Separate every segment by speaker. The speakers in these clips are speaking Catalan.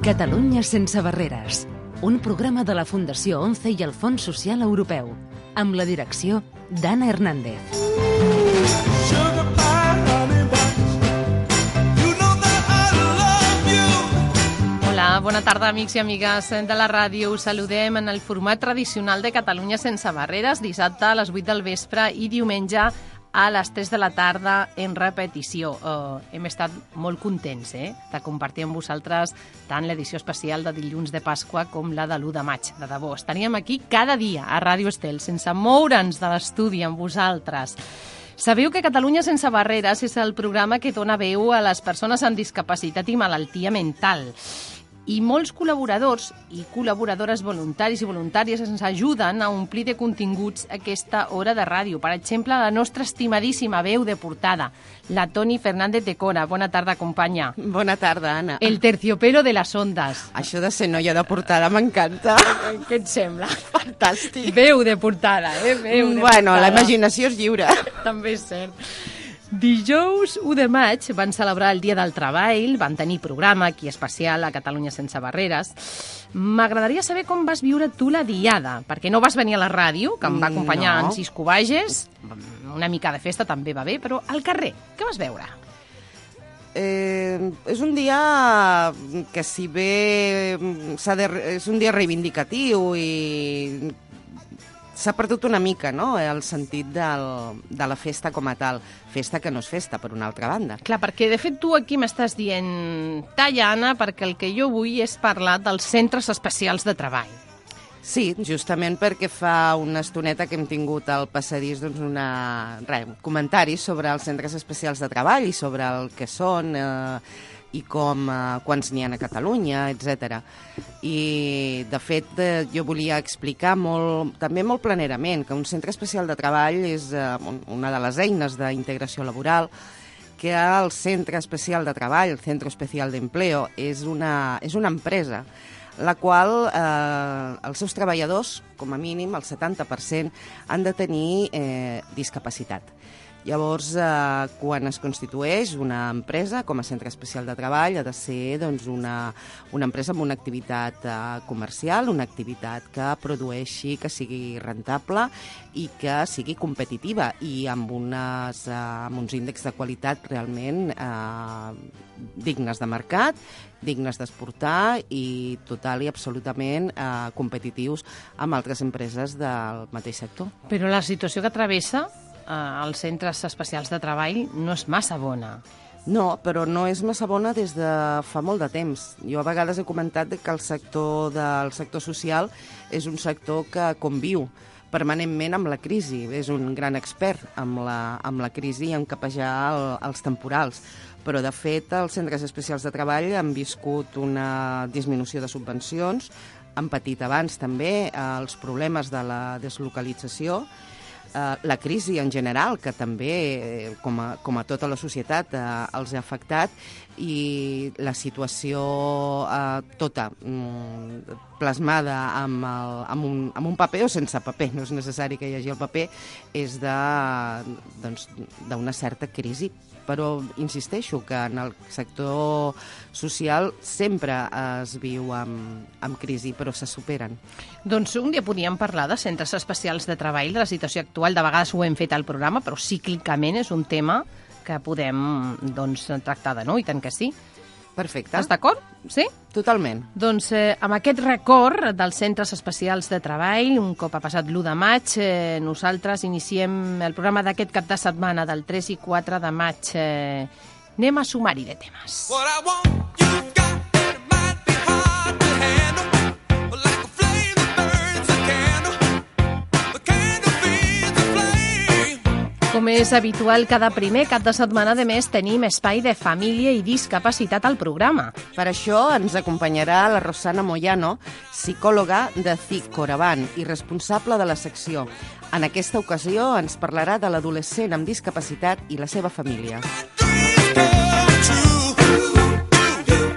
Speaker 1: Catalunya sense barreres, un programa de la Fundació ONCE i el Fons Social Europeu, amb la direcció d'Anna Hernández.
Speaker 2: Hola, bona tarda, amics i amigues de la ràdio. Us saludem en el format tradicional de Catalunya sense barreres, dissabte a les 8 del vespre i diumenge a les 3 de la tarda en repetició. Hem estat molt contents de compartir amb vosaltres tant l'edició especial de dilluns de Pasqua com la de l'1 de maig. De debò, estaríem aquí cada dia a Ràdio Estel, sense moure'ns de l'estudi amb vosaltres. Sabeu que Catalunya sense barreres és el programa que dona veu a les persones amb discapacitat i malaltia mental. I molts col·laboradors i col·laboradores voluntaris i voluntàries ens ajuden a omplir de continguts aquesta hora de ràdio. Per exemple, la nostra estimadíssima veu de portada, la Toni Fernández de Cora. Bona tarda, companya.
Speaker 3: Bona tarda, Anna.
Speaker 2: El terciopelo de les ondes.
Speaker 3: Això de ser noia de portada m'encanta.
Speaker 2: Què et sembla?
Speaker 3: Fantàstic.
Speaker 2: Veu de portada, Veu de
Speaker 3: portada. La imaginació és lliure.
Speaker 2: També és cert. Dijous 1 de maig van celebrar el Dia del Treball, van tenir programa aquí especial a Catalunya sense barreres. M'agradaria saber com vas viure tu la diada, perquè no vas venir a la ràdio, que em va acompanyar en Cisco Bages, una mica de festa també va bé, però al carrer, què vas veure?
Speaker 3: És un dia que si bé és un dia reivindicatiu i s'ha perdut una mica, no?, el sentit de la festa com a tal. Festa que no és festa, per una altra banda.
Speaker 2: Clar, perquè de fet tu aquí m'estàs dient talla, Anna, perquè el que jo vull és parlar dels centres especials de treball.
Speaker 3: Sí, justament perquè fa una estoneta que hem tingut al passadís comentaris sobre els centres especials de treball i sobre el que són i quants n'hi ha a Catalunya, etc. I, de fet, jo volia explicar també molt planerament que un centre especial de treball és una de les eines d'integració laboral, que el centre especial de treball, el Centro Especial de Empleo, és una empresa la qual els seus treballadors, com a mínim el 70%, han de tenir discapacitat. Llavors, quan es constitueix una empresa com a centre especial de treball, ha de ser una empresa amb una activitat comercial, una activitat que produeixi, que sigui rentable i que sigui competitiva i amb uns índexs de qualitat realment dignes de mercat, dignes d'exportar i total i absolutament competitius amb altres empreses del mateix sector.
Speaker 2: Però la situació que travessa als centres especials de treball no és massa bona.
Speaker 3: No, però no és massa bona des de fa molt de temps. Jo a vegades he comentat que el sector social és un sector que conviu permanentment amb la crisi. És un gran expert amb la crisi i en capejar els temporals. Però, de fet, els centres especials de treball han viscut una disminució de subvencions, han patit abans també els problemes de la deslocalització, la crisi en general, que també, com a tota la societat, els ha afectat, i la situació tota plasmada amb un paper o sense paper, no és necessari que hi hagi el paper, és d'una certa crisi. Però insisteixo que en el sector social sempre es viu amb crisi, però se superen.
Speaker 2: Doncs un dia podíem parlar de centres especials de treball, de la situació actual. De vegades ho hem fet al programa, però cíclicament és un tema que podem tractar de nou, i tant que sí.
Speaker 3: Perfecte.
Speaker 2: Estàs d'acord? Sí?
Speaker 3: Totalment.
Speaker 2: Doncs amb aquest record dels centres especials de treball, un cop ha passat l'1 de maig, nosaltres iniciem el programa d'aquest cap de setmana del 3 i 4 de maig. Anem a sumar-hi de temes. Com és habitual, cada primer cap de setmana de mes tenim espai de família i discapacitat al programa.
Speaker 3: Per això ens acompanyarà la Rosana Moyano, psicòloga de CIC Coravant i responsable de la secció. En aquesta ocasió ens parlarà de l'adolescent amb discapacitat i la seva família.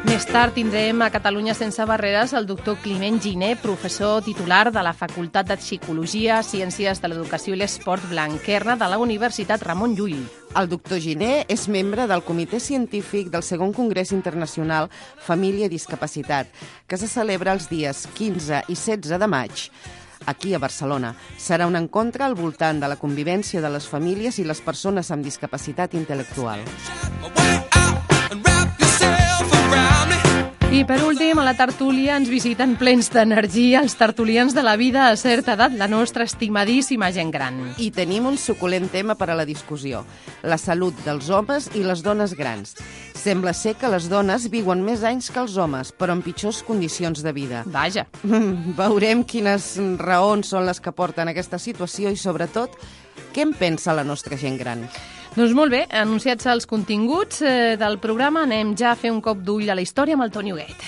Speaker 2: Més tard tindrem a Catalunya sense barreres el doctor Climent Giner, professor titular de la Facultat de Psicologia, Ciències de l'Educació i l'Esport Blanquerna de la Universitat Ramon Llull.
Speaker 3: El doctor Giner és membre del Comitè Científic del Segon Congrés Internacional Família i Discapacitat, que se celebra els dies 15 i 16 de maig. Aquí, a Barcelona, serà un encontre al voltant de la convivència de les famílies i les persones amb discapacitat intel·lectual.
Speaker 2: I per últim, a la tertúlia ens visiten plens d'energia els tertulians de la vida a certa edat, la nostra estimadíssima gent gran.
Speaker 3: I tenim un suculent tema per a la discussió, la salut dels homes i les dones grans. Sembla ser que les dones viuen més anys que els homes, però en pitjors condicions de vida.
Speaker 2: Vaja.
Speaker 3: Veurem quines raons són les que porten a aquesta situació i, sobretot, què en pensa la nostra gent gran.
Speaker 2: Doncs molt bé, anunciats els continguts del programa, anem ja a fer un cop d'ull a la història amb el Toni Huguet.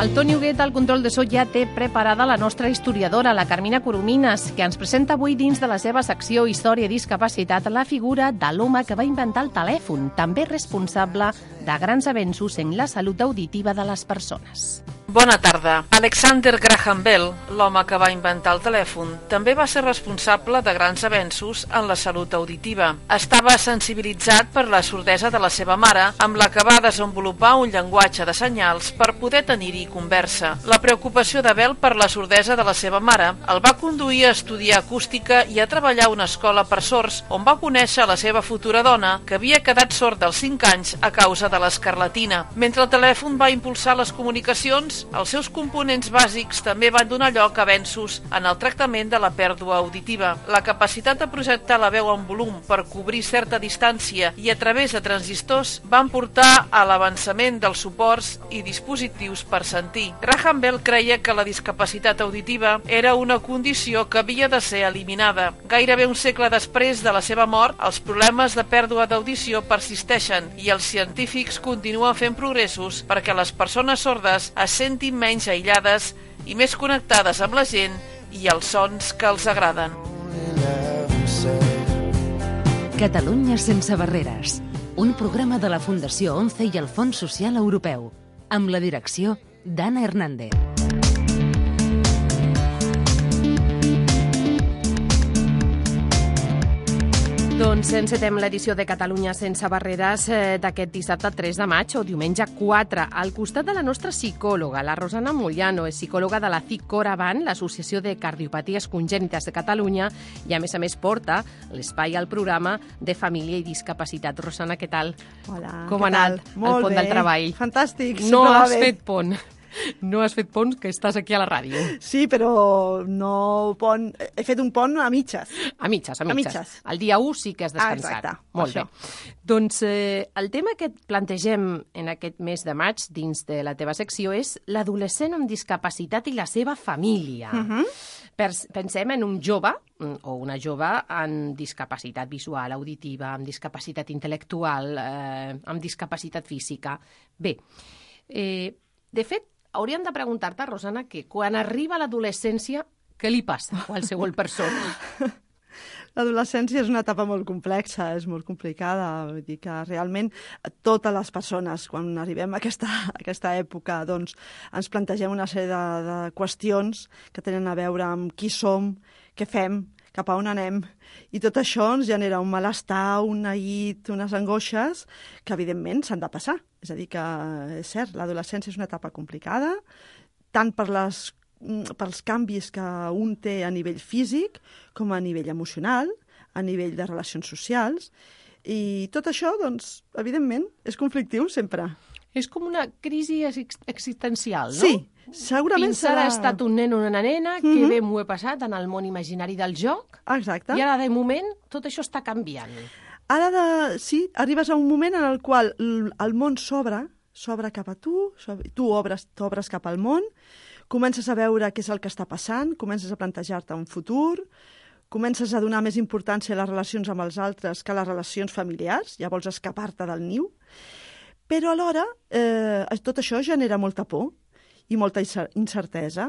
Speaker 2: El Toni Huguet, al control de so, ja té preparada la nostra historiadora, la Carmina Coromines, que ens presenta avui dins de la seva secció Història i Discapacitat la figura de l'home que va inventar el telèfon, també responsable de grans avenços en la salut auditiva de les persones.
Speaker 4: Bona tarda. Alexander Graham Bell, l'home que va inventar el telèfon, també va ser responsable de grans avenços en la salut auditiva. Estava sensibilitzat per la sordesa de la seva mare, amb la que va desenvolupar un llenguatge de senyals per poder tenir-hi conversa. La preocupació de Bell per la sordesa de la seva mare el va conduir a estudiar acústica i a treballar a una escola per sords, on va conèixer la seva futura dona, que havia quedat sorda als 5 anys a causa de l'escarlatina. Mentre el telèfon va impulsar les comunicacions, els seus components bàsics també van donar lloc a avenços en el tractament de la pèrdua auditiva. La capacitat de projectar la veu en volum per cobrir certa distància i a través de transistors van portar a l'avançament dels suports i dispositius per sentir. Graham Bell creia que la discapacitat auditiva era una condició que havia de ser eliminada. Gairebé un segle després de la seva mort, els problemes de pèrdua d'audició persisteixen i els científics continuen fent progressos perquè les persones sordes es sentin menys aïllades i més connectades amb la gent i els sons que els agraden.
Speaker 1: Catalunya sense barreres, un programa de la Fundació ONCE i el Fons Social Europeu, amb la direcció d'Anna Hernández.
Speaker 2: Doncs encetem l'edició de Catalunya sense barreres d'aquest dissabte 3 de maig o diumenge 4. Al costat de la nostra psicòloga, la Rosana Mogliano, és psicòloga de la CIC-Coravan, l'Associació de Cardiopaties Congènites de Catalunya, i a més porta l'espai al programa de Família i Discapacitat. Rosana, què tal?
Speaker 5: Hola,
Speaker 2: com ha anat el pont del treball?
Speaker 5: Fantàstic.
Speaker 2: No has fet pont. No has fet pont, que estàs aquí a la ràdio.
Speaker 5: Sí, però no pont. He fet un pont a mitges.
Speaker 2: A mitges. El dia 1 sí que has descansat.
Speaker 5: Exacte.
Speaker 2: Molt bé. Doncs el tema que et plantegem en aquest mes de maig dins de la teva secció és l'adolescent amb discapacitat i la seva família. Pensem en un jove o una jove amb discapacitat visual, auditiva, amb discapacitat intel·lectual, amb discapacitat física. Bé, de fet, hauríem de preguntar-te, Rosana, que quan arriba a l'adolescència, què li passa a qualsevol persona?
Speaker 5: L'adolescència és una etapa molt complexa, és molt complicada. Vull dir que realment totes les persones, quan arribem a aquesta època, doncs ens plantegem una sèrie de qüestions que tenen a veure amb qui som, què fem, cap a on anem, i tot això ens genera un malestar, un neguit, unes angoixes que, evidentment, s'han de passar. És a dir, que és cert, l'adolescència és una etapa complicada, tant pels canvis que un té a nivell físic com a nivell emocional, a nivell de relacions socials, i tot això, doncs, evidentment, és conflictiu sempre.
Speaker 2: És com una crisi existencial, no?
Speaker 5: Sí, segurament
Speaker 2: Fins ara ha estat un nen o una nena, que bé m'ho he passat en el món imaginari del joc,
Speaker 5: exacte.
Speaker 2: I ara, de moment, tot això està canviant.
Speaker 5: Ara, sí, arribes a un moment en el qual el món s'obre cap a tu, t'obres cap al món, comences a veure què és el que està passant, comences a plantejar-te un futur, comences a donar més importància a les relacions amb els altres que a les relacions familiars, ja vols escapar-te del niu, però alhora tot això genera molta por i molta incertesa.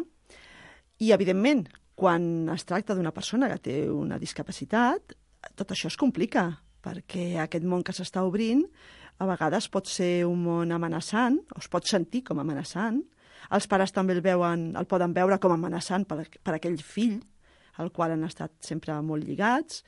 Speaker 5: I, evidentment, Quan es tracta d'una persona que té una discapacitat, tot això es complica, perquè aquest món que s'està obrint a vegades pot ser un món amenaçant, o es pot sentir com amenaçant. Els pares també el poden veure com amenaçant per aquell fill, al qual han estat sempre molt lligats,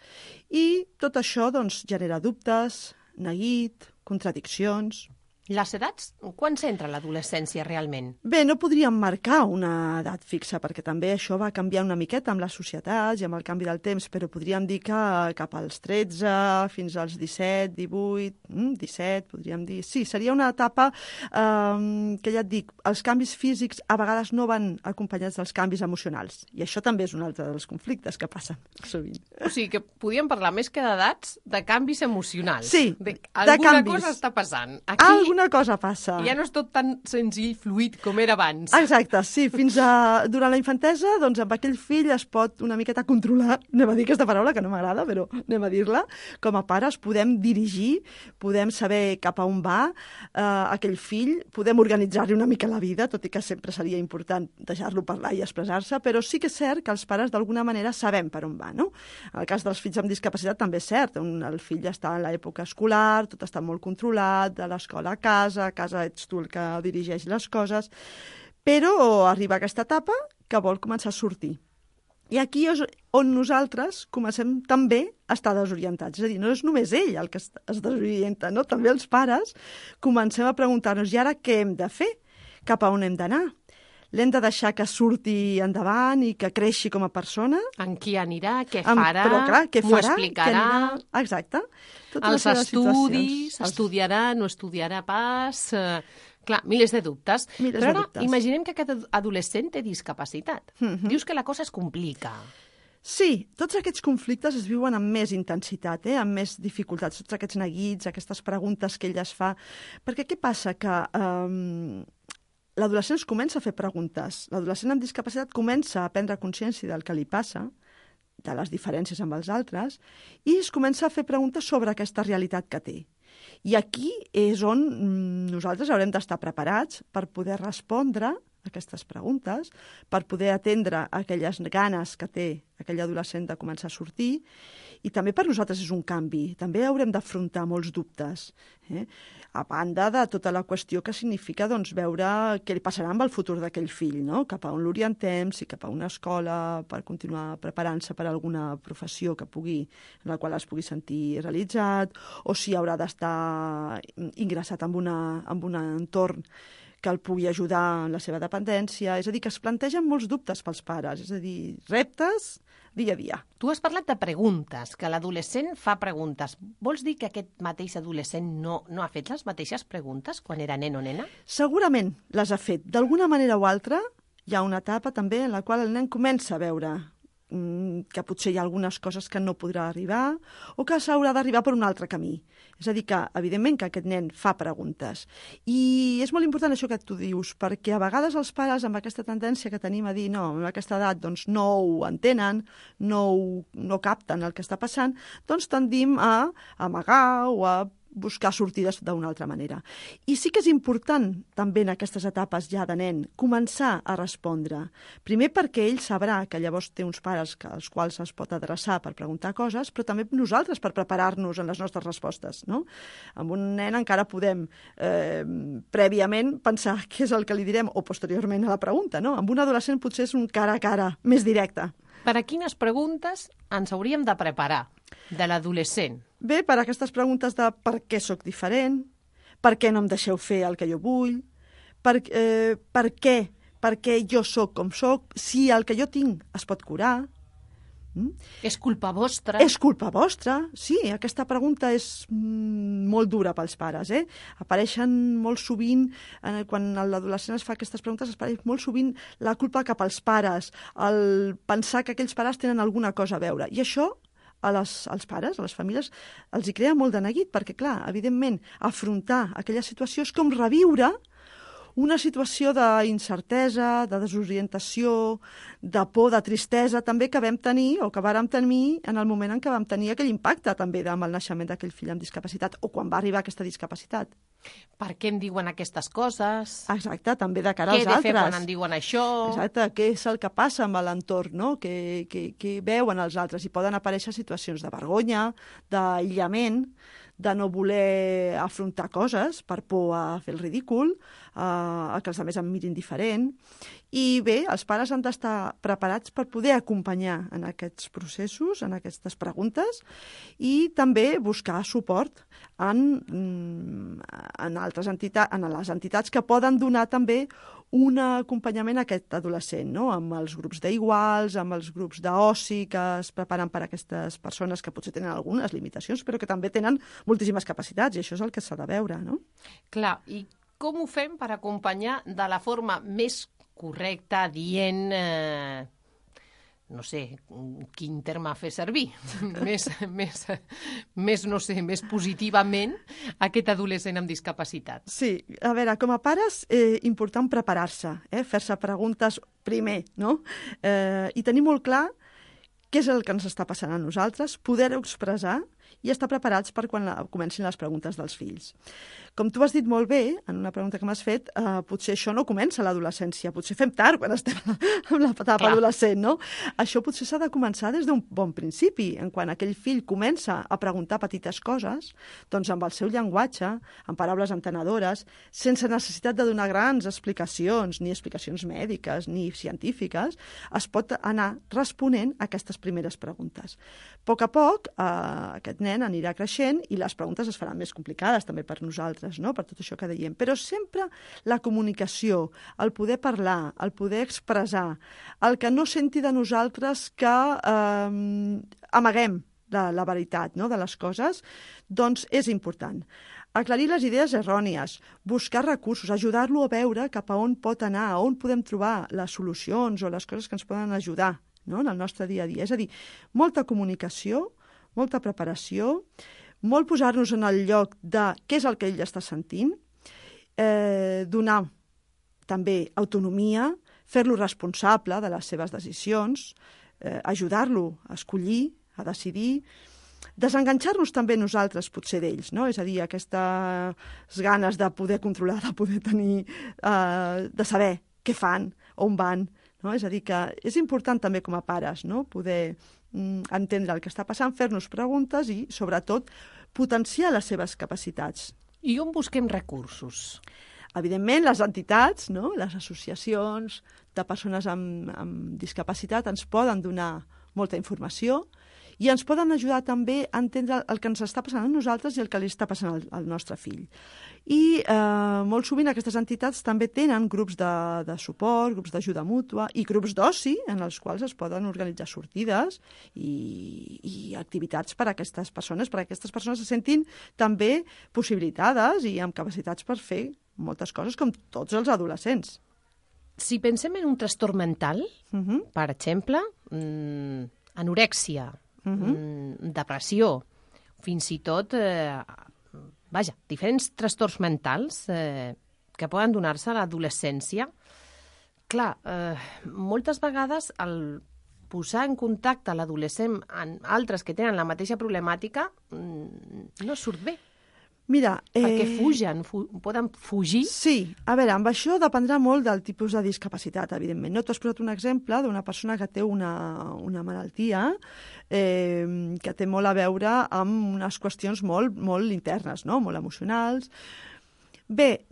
Speaker 5: i tot això doncs, genera dubtes, neguit, contradiccions.
Speaker 6: Les edats, quan s'entra l'adolescència realment?
Speaker 5: Bé, no podríem marcar una edat fixa, perquè també això va canviar una miqueta amb les societats i amb el canvi del temps, però podríem dir que cap als 13 fins als 17, 18, 17, podríem dir. Sí, seria una etapa que ja et dic, els canvis físics a vegades no van acompanyats dels canvis emocionals, i això també és un altre dels conflictes que passen sovint.
Speaker 6: O sigui que podríem parlar més que d'edats, de canvis emocionals.
Speaker 5: Sí,
Speaker 6: alguna cosa està passant. Aquí
Speaker 5: alguna cosa passa.
Speaker 6: Ja no és tot tan senzill, fluid com era abans.
Speaker 5: Exacte, sí. Durant la infantesa, doncs amb aquell fill es pot una miqueta controlar, anem a dir aquesta paraula que no m'agrada, però anem a dir-la. Com a pares podem dirigir, podem saber cap a on va aquell fill, podem organitzar-li una mica la vida, tot i que sempre seria important deixar-lo parlar i expressar-se, però sí que és cert que els pares d'alguna manera sabem per on va, no? En el cas dels fills amb discapacitat també és cert, el fill està en l'època escolar, tot està molt controlat, de l'escola a casa ets tu el que dirigeix les coses, però arriba aquesta etapa que vol començar a sortir. I aquí és on nosaltres comencem també a estar desorientats. És a dir, no és només ell el que es desorienta, no? També els pares comencem a preguntar-nos, i ara què hem de fer? Cap a on hem d'anar? L'hem de deixar que surti endavant i que creixi com a persona?
Speaker 6: En qui anirà, què farà,
Speaker 5: però, clar, què farà,
Speaker 6: m'ho explicarà.
Speaker 5: Exacte.
Speaker 6: Els estudis, estudiarà, no estudiarà pas... Clar, milers de dubtes. Però ara imaginem que aquest adolescent té discapacitat. Dius que la cosa es complica.
Speaker 5: Sí, tots aquests conflictes es viuen amb més intensitat, amb més dificultats, tots aquests neguits, aquestes preguntes que ell es fa. Perquè què passa? Que l'adolescent es comença a fer preguntes. L'adolescent amb discapacitat comença a prendre consciència del que li passa, de les diferències amb els altres, i es comença a fer preguntes sobre aquesta realitat que té. I aquí és on nosaltres haurem d'estar preparats per poder respondre a aquestes preguntes, per poder atendre aquelles ganes que té aquell adolescent de començar a sortir, i també per nosaltres és un canvi. També haurem d'afrontar molts dubtes, a banda de tota la qüestió que significa doncs, veure què li passarà amb el futur d'aquell fill, no? Cap a on l'orientem, si cap a una escola per continuar preparant-se per alguna professió en la qual es pugui sentir realitzat, o si haurà d'estar ingressat en un entorn que el pugui ajudar en la seva dependència. És a dir, que es plantegen molts dubtes pels pares, és a dir, reptes dia a dia.
Speaker 6: Tu has parlat de preguntes, que l'adolescent fa preguntes. Vols dir que aquest mateix adolescent no ha fet les mateixes preguntes quan era nen o nena?
Speaker 5: Segurament les ha fet. D'alguna manera o altra hi ha una etapa també en la qual el nen comença a veure que potser hi ha algunes coses que no podrà arribar o que s'haurà d'arribar per un altre camí. És a dir, que evidentment que aquest nen fa preguntes. I és molt important això que tu dius, perquè a vegades els pares amb aquesta tendència que tenim a dir no, en aquesta edat doncs, no ho entenen, no capten el que està passant, doncs tendim a amagar o a buscar sortides d'una altra manera. I sí que és important, també en aquestes etapes ja de nen, començar a respondre. Primer perquè ell sabrà que llavors té uns pares als quals es pot adreçar per preguntar coses, però també nosaltres per preparar-nos en les nostres respostes. No? Amb un nen encara podem prèviament pensar què és el que li direm o posteriorment a la pregunta. No? Amb un adolescent potser és un cara a cara més directe.
Speaker 6: Per a quines preguntes ens hauríem de preparar de l'adolescent?
Speaker 5: Bé, per aquestes preguntes de per què sóc diferent, per què no em deixeu fer el que jo vull, per què jo sóc com sóc, si el que jo tinc es pot curar.
Speaker 6: És culpa vostra?
Speaker 5: És culpa vostra, sí. Aquesta pregunta és molt dura pels pares. Apareixen molt sovint, quan l'adolescent es fa aquestes preguntes, apareix molt sovint la culpa cap als pares, el pensar que aquells pares tenen alguna cosa a veure. I això als pares, a les famílies, els hi crea molt de neguit, perquè, clar, evidentment, afrontar aquella situació és com reviure una situació d'incertesa, de desorientació, de por, de tristesa, també que vam tenir, o que vàrem tenir en el moment en què vam tenir aquell impacte també amb el naixement d'aquell fill amb discapacitat, o quan va arribar aquesta discapacitat.
Speaker 6: Per què em diuen aquestes coses?
Speaker 5: Exacte, també de cara als altres.
Speaker 6: Què he de fer quan em diuen això?
Speaker 5: Exacte, què és el que passa amb l'entorn, no? Què veuen els altres? I poden aparèixer situacions de vergonya, d'aïllament, de no voler afrontar coses per por a fer el ridícul, a que els altres em mirin diferent. I bé, els pares han d'estar preparats per poder acompanyar en aquests processos, en aquestes preguntes, i també buscar suport en altres entitats, en les entitats que poden donar també un acompanyament a aquest adolescent, no? Amb els grups d'iguals, amb els grups d'oci que es preparen per a aquestes persones que potser tenen algunes limitacions, però que també tenen moltíssimes capacitats, i això és el que s'ha de veure, no?
Speaker 6: Clar, i com ho fem per acompanyar de la forma més correcta, dient, no sé, quin terme fer servir, més positivament aquest adolescent amb discapacitat?
Speaker 5: Sí, a veure, com a pares, important preparar-se, fer-se preguntes primer, no? I tenir molt clar què és el que ens està passant a nosaltres, poder-ho expressar i estar preparats per quan comencin les preguntes dels fills. Com tu has dit molt bé, en una pregunta que m'has fet, potser això no comença a l'adolescència, potser fem tard quan estem en l'etapa adolescent, no? Això potser s'ha de començar des d'un bon principi, en quan aquell fill comença a preguntar petites coses, doncs amb el seu llenguatge, amb paraules entenedores, sense necessitat de donar grans explicacions, ni explicacions mèdiques, ni científiques, es pot anar responent a aquestes primeres preguntes. A poc, aquest nen anirà creixent i les preguntes es faran més complicades també per nosaltres, no? Per tot això que dèiem. Però sempre la comunicació, el poder parlar, el poder expressar, el que no senti de nosaltres que amaguem la veritat, no? De les coses, doncs és important. Aclarir les idees errònies, buscar recursos, ajudar-lo a veure cap a on pot anar, a on podem trobar les solucions o les coses que ens poden ajudar, no? En el nostre dia a dia. És a dir, molta comunicació, molta preparació, molt posar-nos en el lloc de què és el que ell està sentint, donar també autonomia, fer-lo responsable de les seves decisions, ajudar-lo a escollir, a decidir, desenganxar-nos també nosaltres potser d'ells, no? És a dir, aquestes ganes de poder controlar, de poder tenir, de saber què fan, on van, no? És a dir, que és important també com a pares, no? Poder entendre el que està passant, fer-nos preguntes i, sobretot, potenciar les seves capacitats.
Speaker 6: I on busquem recursos?
Speaker 5: Evidentment, les entitats, no? Les associacions de persones amb discapacitat ens poden donar molta informació i ens poden ajudar també a entendre el que ens està passant a nosaltres i el que li està passant al nostre fill. I molt sovint aquestes entitats també tenen grups de suport, grups d'ajuda mútua i grups d'oci en els quals es poden organitzar sortides i activitats per a aquestes persones, perquè aquestes persones se sentin també possibilitades i amb capacitats per fer moltes coses com tots els adolescents.
Speaker 6: Si pensem en un trastorn mental, per exemple, anorèxia, depressió, fins i tot, diferents trastorns mentals que poden donar-se a l'adolescència. Clar, moltes vegades el posar en contacte l'adolescent amb altres que tenen la mateixa problemàtica no surt bé.
Speaker 5: Mira,
Speaker 6: perquè fugen, poden fugir?
Speaker 5: Sí, a veure, amb això dependrà molt del tipus de discapacitat, evidentment. No? Tu has posat un exemple d'una persona que té una malaltia que té molt a veure amb unes qüestions molt internes, no? Molt emocionals. Bé,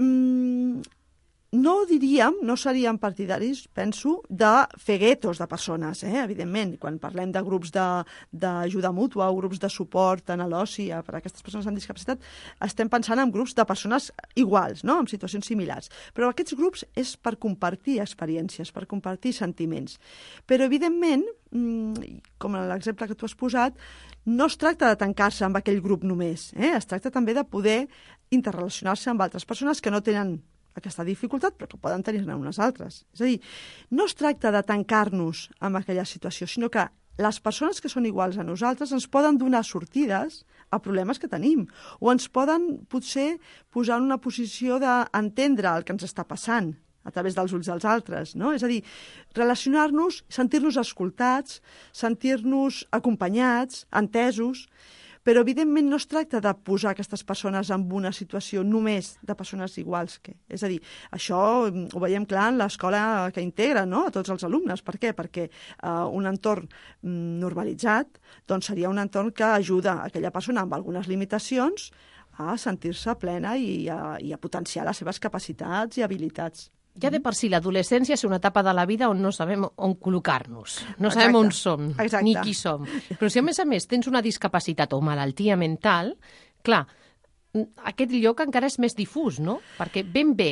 Speaker 5: no seríem partidaris, penso, de fer guetos de persones, evidentment. Quan parlem de grups d'ajuda mútua o grups de suport en l'oci per a aquestes persones amb discapacitat, estem pensant en grups de persones iguals, no? En situacions similars. Però aquests grups és per compartir experiències, per compartir sentiments. Però, evidentment, com en l'exemple que tu has posat, no es tracta de tancar-se amb aquell grup només. Es tracta també de poder interrelacionar-se amb altres persones que no tenen aquesta dificultat, però que poden tenir-ne unes altres. És a dir, no es tracta de tancar-nos en aquella situació, sinó que les persones que són iguals a nosaltres ens poden donar sortides a problemes que tenim, o ens poden potser posar en una posició d'entendre el que ens està passant a través dels ulls dels altres, no? És a dir, relacionar-nos, sentir-nos escoltats, sentir-nos acompanyats, entesos, però evidentment no es tracta de posar aquestes persones en una situació només de persones iguals que. És a dir, això ho veiem clar en l'escola que integra, no?, a tots els alumnes. Per què? Perquè un entorn normalitzat doncs seria un entorn que ajuda a aquella persona amb algunes limitacions a sentir-se plena i a potenciar les seves capacitats i habilitats.
Speaker 6: Ja de per si l'adolescència és una etapa de la vida on no sabem on col·locar-nos, no sabem on som, ni qui som. Però si a més tens una discapacitat o malaltia mental, clar, aquest lloc encara és més difús, no? Perquè ben bé,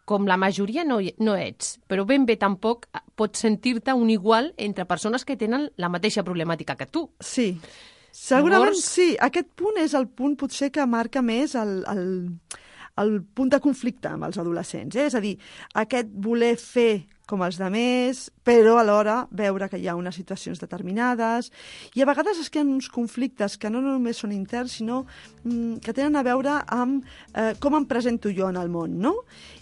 Speaker 6: com la majoria no ets, però ben bé tampoc pots sentir-te un igual entre persones que tenen la mateixa problemàtica que tu.
Speaker 5: Sí, segurament sí. Aquest punt és el punt potser que marca més el punt de conflicte amb els adolescents. És a dir, aquest voler fer com els altres, però alhora veure que hi ha unes situacions determinades. I a vegades es creen uns conflictes que no només són interns, sinó que tenen a veure amb com em presento jo en el món, no?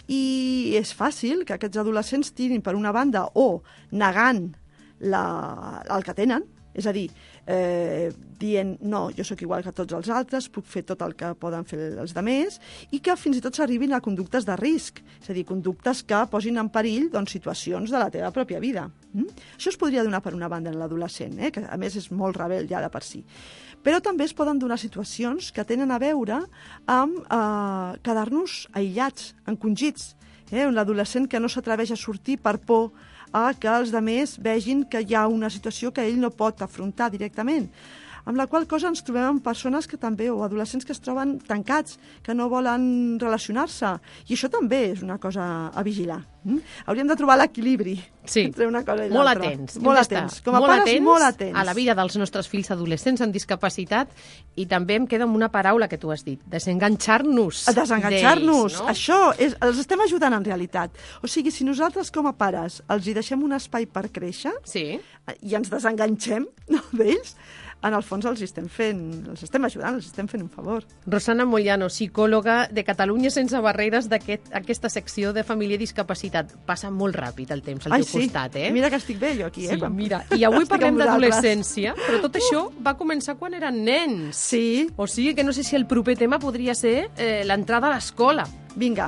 Speaker 5: I és fàcil que aquests adolescents tirin per una banda o negant el que tenen, és a dir, dient, no, jo sóc igual que tots els altres, puc fer tot el que poden fer els altres, i que fins i tot s'arribin a conductes de risc, és a dir, conductes que posin en perill situacions de la teva pròpia vida. Això es podria donar per una banda en l'adolescent, que a més és molt rebel ja de per si. Però també es poden donar situacions que tenen a veure amb quedar-nos aïllats, encongits, un adolescent que no s'atreveix a sortir per por a que els altres vegin que hi ha una situació que ell no pot afrontar directament. Amb la qual cosa ens trobem amb persones que també, o adolescents que es troben tancats, que no volen relacionar-se. I això també és una cosa a vigilar. Hauríem de trobar l'equilibri entre una cosa i l'altra.
Speaker 6: Molt atents.
Speaker 5: Molt atents. Com a pares, molt atents.
Speaker 6: A la vida dels nostres fills adolescents amb discapacitat, i també em queda amb una paraula que tu has dit, desenganxar-nos.
Speaker 5: Desenganxar-nos.
Speaker 6: No?
Speaker 5: Això els estem ajudant en realitat. O sigui, si nosaltres com a pares els hi deixem un espai per créixer i ens desenganxem d'ells, en el fons els estem ajudant, els estem fent un favor.
Speaker 6: Rosana Moyano, psicòloga de Catalunya Sense Barreres, d'aquesta secció de família i discapacitat. Passa molt ràpid el temps al teu costat, eh?
Speaker 5: Mira que estic bé jo aquí,
Speaker 6: Sí, mira. I avui parlem d'adolescència, però tot això va començar quan eren nens.
Speaker 5: Sí.
Speaker 6: O sigui que no sé si el proper tema podria ser l'entrada a l'escola.
Speaker 5: Vinga.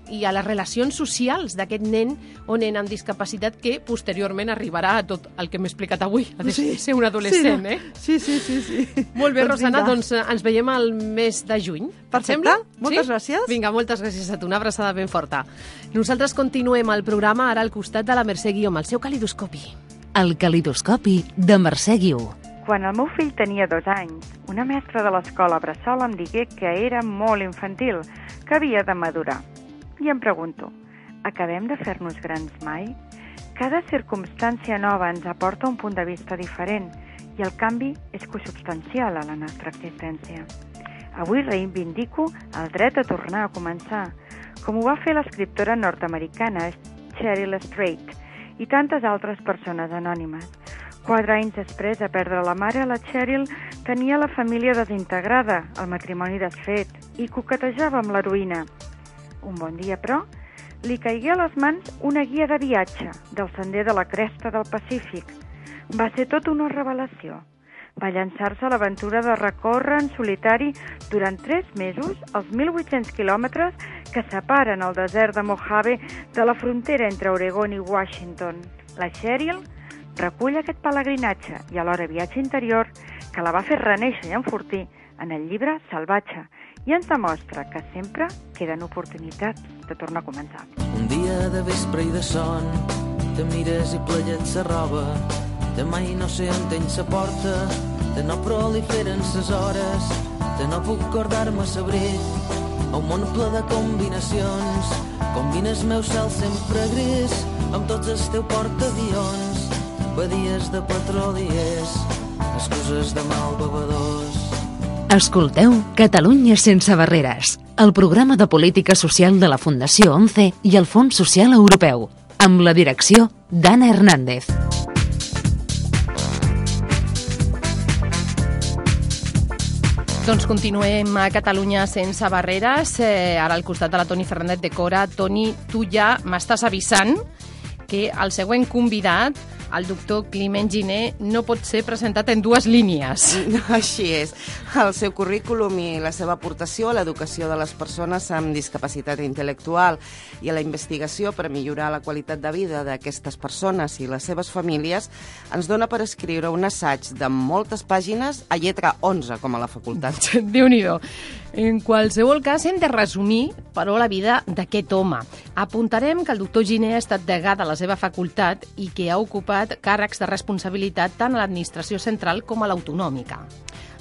Speaker 6: I a les relacions socials d'aquest nen o nena amb discapacitat que posteriorment arribarà a tot el que m'he explicat avui, a ser un adolescent,
Speaker 5: Sí.
Speaker 6: Molt bé, Rosana, doncs ens veiem al mes de juny.
Speaker 5: Perfecte, moltes gràcies.
Speaker 6: Vinga, moltes gràcies a tu, una abraçada ben forta. Nosaltres continuem el programa ara al costat de la Mercè Guió, amb el seu calidoscopi.
Speaker 1: El calidoscopi de Mercè Guió.
Speaker 7: Quan el meu fill tenia 2 anys, una mestra de l'escola Bressol em digué que era molt infantil, que havia de madurar. I em pregunto, acabem de fer-nos grans mai? Cada circumstància nova ens aporta un punt de vista diferent i el canvi és consubstancial a la nostra existència. Avui reivindico el dret a tornar a començar, com ho va fer l'escriptora nord-americana Cheryl Strait i tantes altres persones anònimes. 4 anys després de perdre la mare, la Cheryl tenia la família desintegrada, el matrimoni desfet i coquetejava amb l'heroïna. Un bon dia, però, li caigué a les mans una guia de viatge del sender de la cresta del Pacífic. Va ser tot una revelació. Va llançar-se a l'aventura de recórrer en solitari durant 3 mesos els 1.800 quilòmetres que separen el desert de Mojave de la frontera entre Oregon i Washington. La Cheryl recull aquest pelegrinatge i alhora viatge interior que la va fer renéixer i enfortir en el llibre Salvatge i ens demostra que sempre queden oportunitats de tornar a començar.
Speaker 8: Un dia de vespre i de son te mires i plegets sa roba, de mai no sé on tens sa porta, de no proliferen ses hores, de no puc acordar-me sabrit, a un món ple de combinacions, combines meu cel sempre gris, amb tots els teus portaavions, badies de petroliers, excuses de mal bevedors.
Speaker 1: Escolteu Catalunya Sense Barreres, el programa de política social de la Fundació 11 i el Fons Social Europeu, amb la direcció d'Anna Hernández.
Speaker 2: Doncs continuem a Catalunya sense barreres, ara al costat de la Toni Fernández de Cora. Toni, tu ja m'estàs avisant que el següent convidat, el doctor Climent Giner, no pot ser presentat en dues línies.
Speaker 3: Així és. El seu currículum i la seva aportació a l'educació de les persones amb discapacitat intel·lectual i a la investigació per millorar la qualitat de vida d'aquestes persones i les seves famílies ens dona per escriure un assaig de moltes pàgines a lletra 11, com a la facultat.
Speaker 2: Déu-n'hi-do. En qualsevol cas, hem de resumir, però, la vida d'aquest home. Apuntarem que el doctor Giner ha estat degà de la seva facultat i que ha ocupat càrrecs de responsabilitat tant a l'administració central com a l'autonòmica.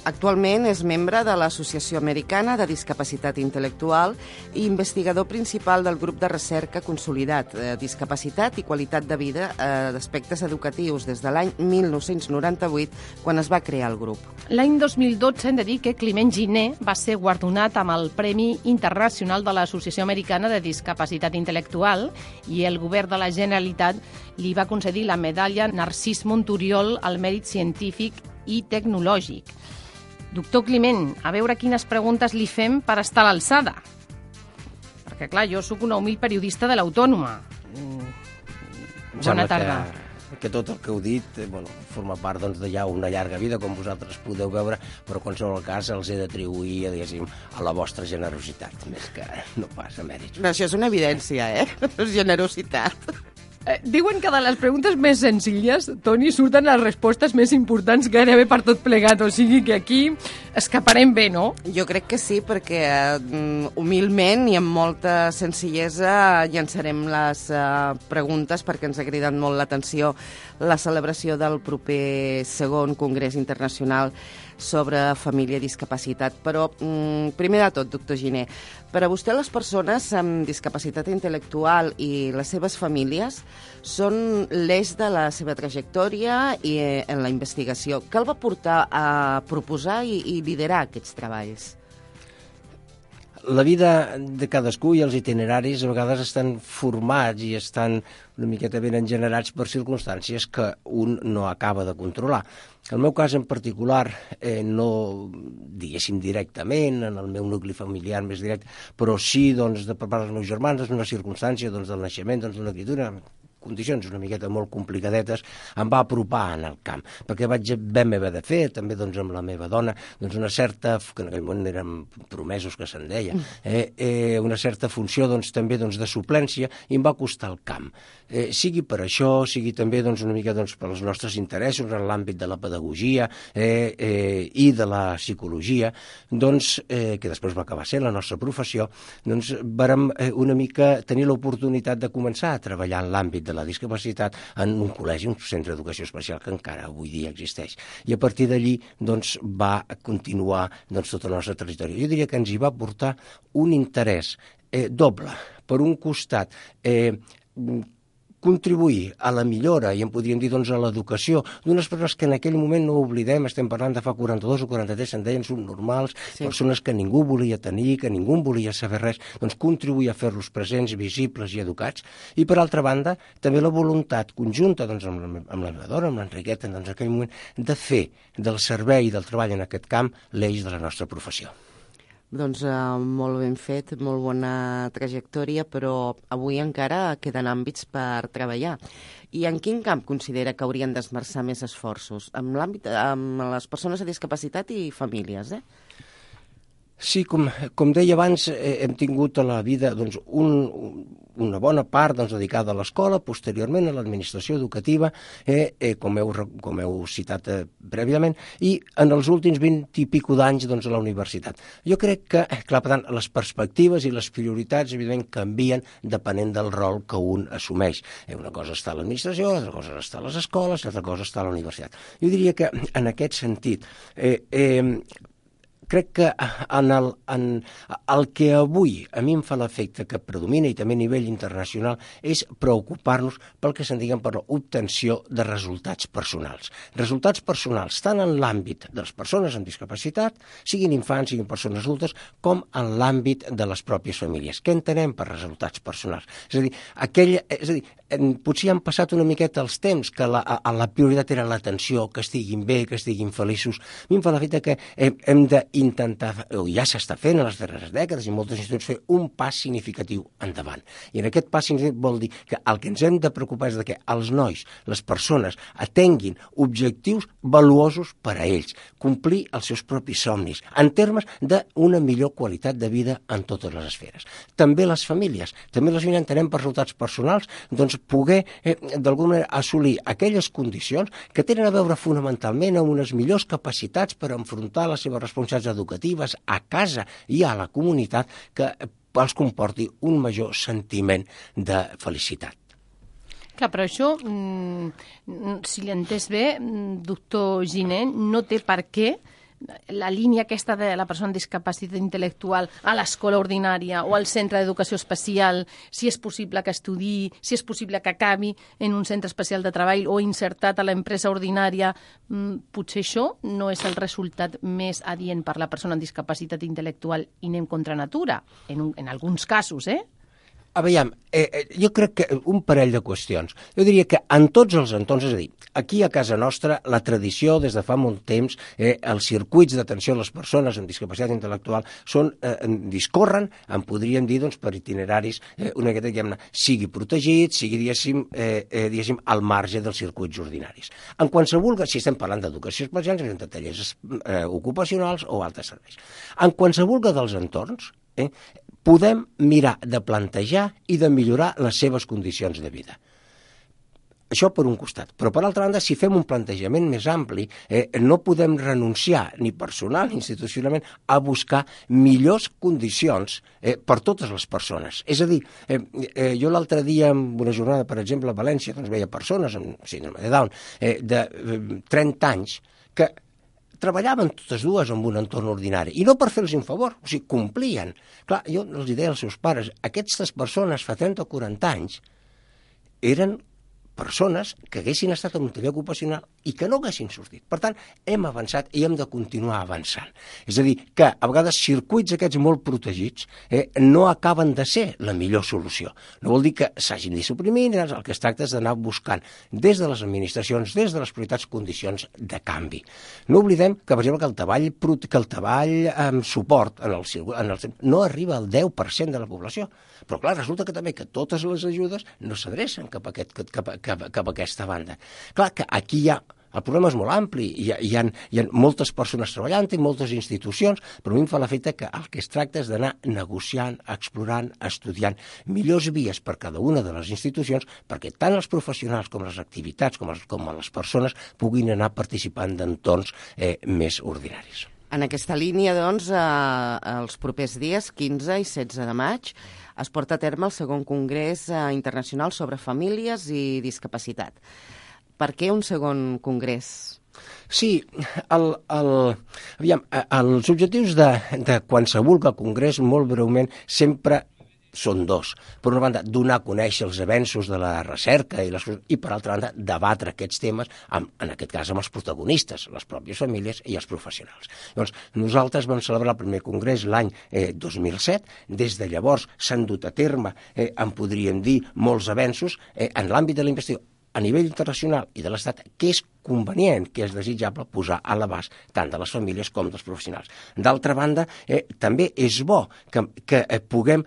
Speaker 3: Actualment és membre de l'Associació Americana de Discapacitat Intel·lectual i investigador principal del grup de recerca consolidat Discapacitat i Qualitat de Vida d'aspectes educatius des de l'any 1998, quan es va crear el grup.
Speaker 2: L'any 2012 hem de dir que Climent Giner va ser guardonat amb el Premi Internacional de l'Associació Americana de Discapacitat Intel·lectual i el govern de la Generalitat li va concedir la medalla Narcís Monturiol al mèrit científic i tecnològic. Doctor Climent, a veure quines preguntes li fem per estar a l'alçada. Perquè, clar, jo sóc una humil periodista de l'Autònoma. Bona tarda.
Speaker 9: Que tot el que heu dit forma part de ja una llarga vida, com vosaltres podeu veure, però en qualsevol cas els he d'atribuir, diguéssim, a la vostra generositat, més que no pas a mèrits.
Speaker 3: Però això és una evidència, És generositat.
Speaker 2: Diuen que de les preguntes més senzilles, Toni, surten les respostes més importants gairebé per tot plegat, o sigui que aquí escaparem bé, no?
Speaker 3: Jo crec que sí, perquè humilment i amb molta senzillesa llançarem les preguntes perquè ens ha cridat molt l'atenció la celebració del proper segon Congrés Internacional sobre família i discapacitat. Però, primer de tot, doctor Giner, per a vostè les persones amb discapacitat intel·lectual i les seves famílies són l'eix de la seva trajectòria i en la investigació. Què el va portar a proposar i liderar aquests treballs?
Speaker 9: La vida de cadascú i els itineraris a vegades estan formats i estan una miqueta ben engenerats per circumstàncies que un no acaba de controlar. El meu cas en particular, no diguéssim directament, en el meu nucli familiar més directe, però sí per part dels meus germans, és una circumstància del naixement, d'una criatura, condicions una miqueta molt complicadetes, em va apropar en el camp, perquè vaig haver de fer, també amb la meva dona, una certa, que en aquell moment érem promesos que se'n deia, una certa funció també de suplència, i em va costar el camp. Sigui per això, sigui també una mica per als nostres interessos en l'àmbit de la pedagogia i de la psicologia, que després va acabar sent la nostra professió, vàrem una mica tenir l'oportunitat de començar a treballar en l'àmbit de la discapacitat en un col·legi, un centre d'educació especial que encara avui dia existeix. I a partir d'allí va continuar tota la nostra trajectòria. Jo diria que ens hi va portar un interès doble. Per un costat, contribuir a la millora, i en podríem dir a l'educació d'unes persones que en aquell moment, no oblidem, estem parlant de fa 42 o 43, se'n deien subnormals, persones que ningú volia tenir, que ningú volia saber res, contribuir a fer-los presents, visibles i educats. I per altra banda, també la voluntat conjunta amb la meva dona, amb l'Enriqueta, en aquell moment, de fer del servei i del treball en aquest camp l'eix de la nostra professió.
Speaker 3: Doncs molt ben fet, molt bona trajectòria, però avui encara queden àmbits per treballar. I en quin camp considera que haurien d'esmerçar més esforços? En l'àmbit amb les persones amb discapacitat i famílies,
Speaker 9: Sí, com deia abans, hem tingut a la vida una bona part dedicada a l'escola, posteriorment a l'administració educativa, com heu citat prèviament, i en els últims 20 i pico d'anys a la universitat. Jo crec que, clar, per tant, les perspectives i les prioritats, evidentment, canvien depenent del rol que un assumeix. Una cosa està a l'administració, altra cosa està a les escoles, altra cosa està a la universitat. Jo diria que, en aquest sentit, crec que el que avui a mi em fa l'efecte que predomina i també a nivell internacional és preocupar-nos pel que se'n diguen per l'obtenció de resultats personals. Resultats personals tant en l'àmbit de les persones amb discapacitat, siguin infants, siguin persones adultes, com en l'àmbit de les pròpies famílies. Què entenem per resultats personals? És a dir, potser han passat una miqueta els temps que la prioritat era l'atenció, que estiguin bé, que estiguin feliços. A mi em fa l'efecte que hem d'intentar, o ja s'està fent en les darreres dècades i moltes institucions, fer un pas significatiu endavant. I en aquest pas significatiu vol dir que el que ens hem de preocupar és de que els nois, les persones, atenguin objectius valuosos per a ells, complir els seus propis somnis, en termes d'una millor qualitat de vida en totes les esferes. També les famílies entenem per resultats personals, doncs poder d'alguna manera assolir aquelles condicions que tenen a veure fonamentalment amb unes millors capacitats per enfrontar les seves responsabilitats educatives a casa i a la comunitat que els comporti un major sentiment de felicitat.
Speaker 2: Clar, però això, si l'he entès bé, doctor Giner, no té per què la línia aquesta de la persona amb discapacitat intel·lectual a l'escola ordinària o al centre d'educació especial, si és possible que estudiï, si és possible que acabi en un centre especial de treball o insertat a l'empresa ordinària, potser això no és el resultat més adient per la persona amb discapacitat intel·lectual i anem contra natura, en alguns casos,
Speaker 9: Aviam, jo crec que un parell de qüestions. Jo diria que en tots els entorns, és a dir, aquí a casa nostra, la tradició des de fa molt temps, els circuits d'atenció a les persones amb discapacitat intel·lectual discorren, en podríem dir, doncs, per itineraris, una miqueta, diguem-ne, sigui protegit, sigui, diguéssim, al marge dels circuits ordinaris. En qualsevol, si estem parlant d'educació especial, de tallers ocupacionals o altres serveis. En qualsevol dels entorns, podem mirar de plantejar i de millorar les seves condicions de vida. Això per un costat. Però, per altra banda, si fem un plantejament més ampli, no podem renunciar, ni personal ni institucionalment, a buscar millors condicions per totes les persones. És a dir, jo l'altre dia, en una jornada, per exemple, a València, doncs veia persones amb síndrome de Down de 30 anys que treballaven totes dues en un entorn ordinari, i no per fer-los un favor, o sigui, complien. Clar, jo els deia als seus pares, aquestes persones fa 30 o 40 anys eren persones que haguessin estat en un taller ocupacional i que no haguessin sortit. Per tant, hem avançat i hem de continuar avançant. És a dir, que a vegades circuits aquests molt protegits no acaben de ser la millor solució. No vol dir que s'hagin de suprimir, el que es tracta és d'anar buscant des de les administracions, des de les prioritats, condicions de canvi. No oblidem que, per exemple, que el treball amb suport no arriba al 10% de la població. Però, clar, resulta que també que totes les ajudes no s'adrecen cap a aquesta banda. Clar que aquí el problema és molt ampli, hi ha moltes persones treballant i moltes institucions, però a mi em fa l'efecte que el que es tracta és d'anar negociant, explorant, estudiant millors vies per cada una de les institucions perquè tant els professionals com les activitats com les persones puguin anar participant d'entorns més ordinaris.
Speaker 3: En aquesta línia, doncs, els propers dies, 15 i 16 de maig, es porta a terme el segon Congrés Internacional sobre Famílies i Discapacitat. Per què un segon congrés?
Speaker 9: Sí, els objectius de qualsevol congrés, molt breument, sempre són dos. Per una banda, donar a conèixer els avenços de la recerca i per altra banda, debatre aquests temes, en aquest cas amb els protagonistes, les pròpies famílies i els professionals. Llavors, nosaltres vam celebrar el primer congrés l'any 2007. Des de llavors s'han dut a terme, en podríem dir, molts avenços en l'àmbit de la investigació a nivell internacional i de l'Estat, que és convenient, que és desitjable posar a l'abast tant de les famílies com dels professionals. D'altra banda, també és bo que puguem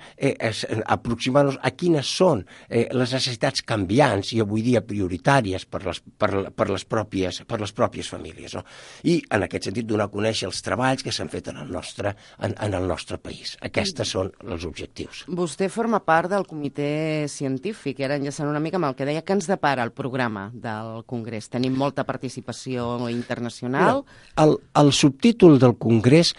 Speaker 9: aproximar-nos a quines són les necessitats canviants i avui dia prioritàries per les pròpies famílies. No? I en aquest sentit donar a conèixer els treballs que s'han fet en el nostre país. Aquests són els objectius.
Speaker 3: Vostè forma part del comitè científic, ara enllaçant una mica amb el que deia, que ens depara el programa del Congrés. Tenim molta participació internacional.
Speaker 9: El subtítol del Congrés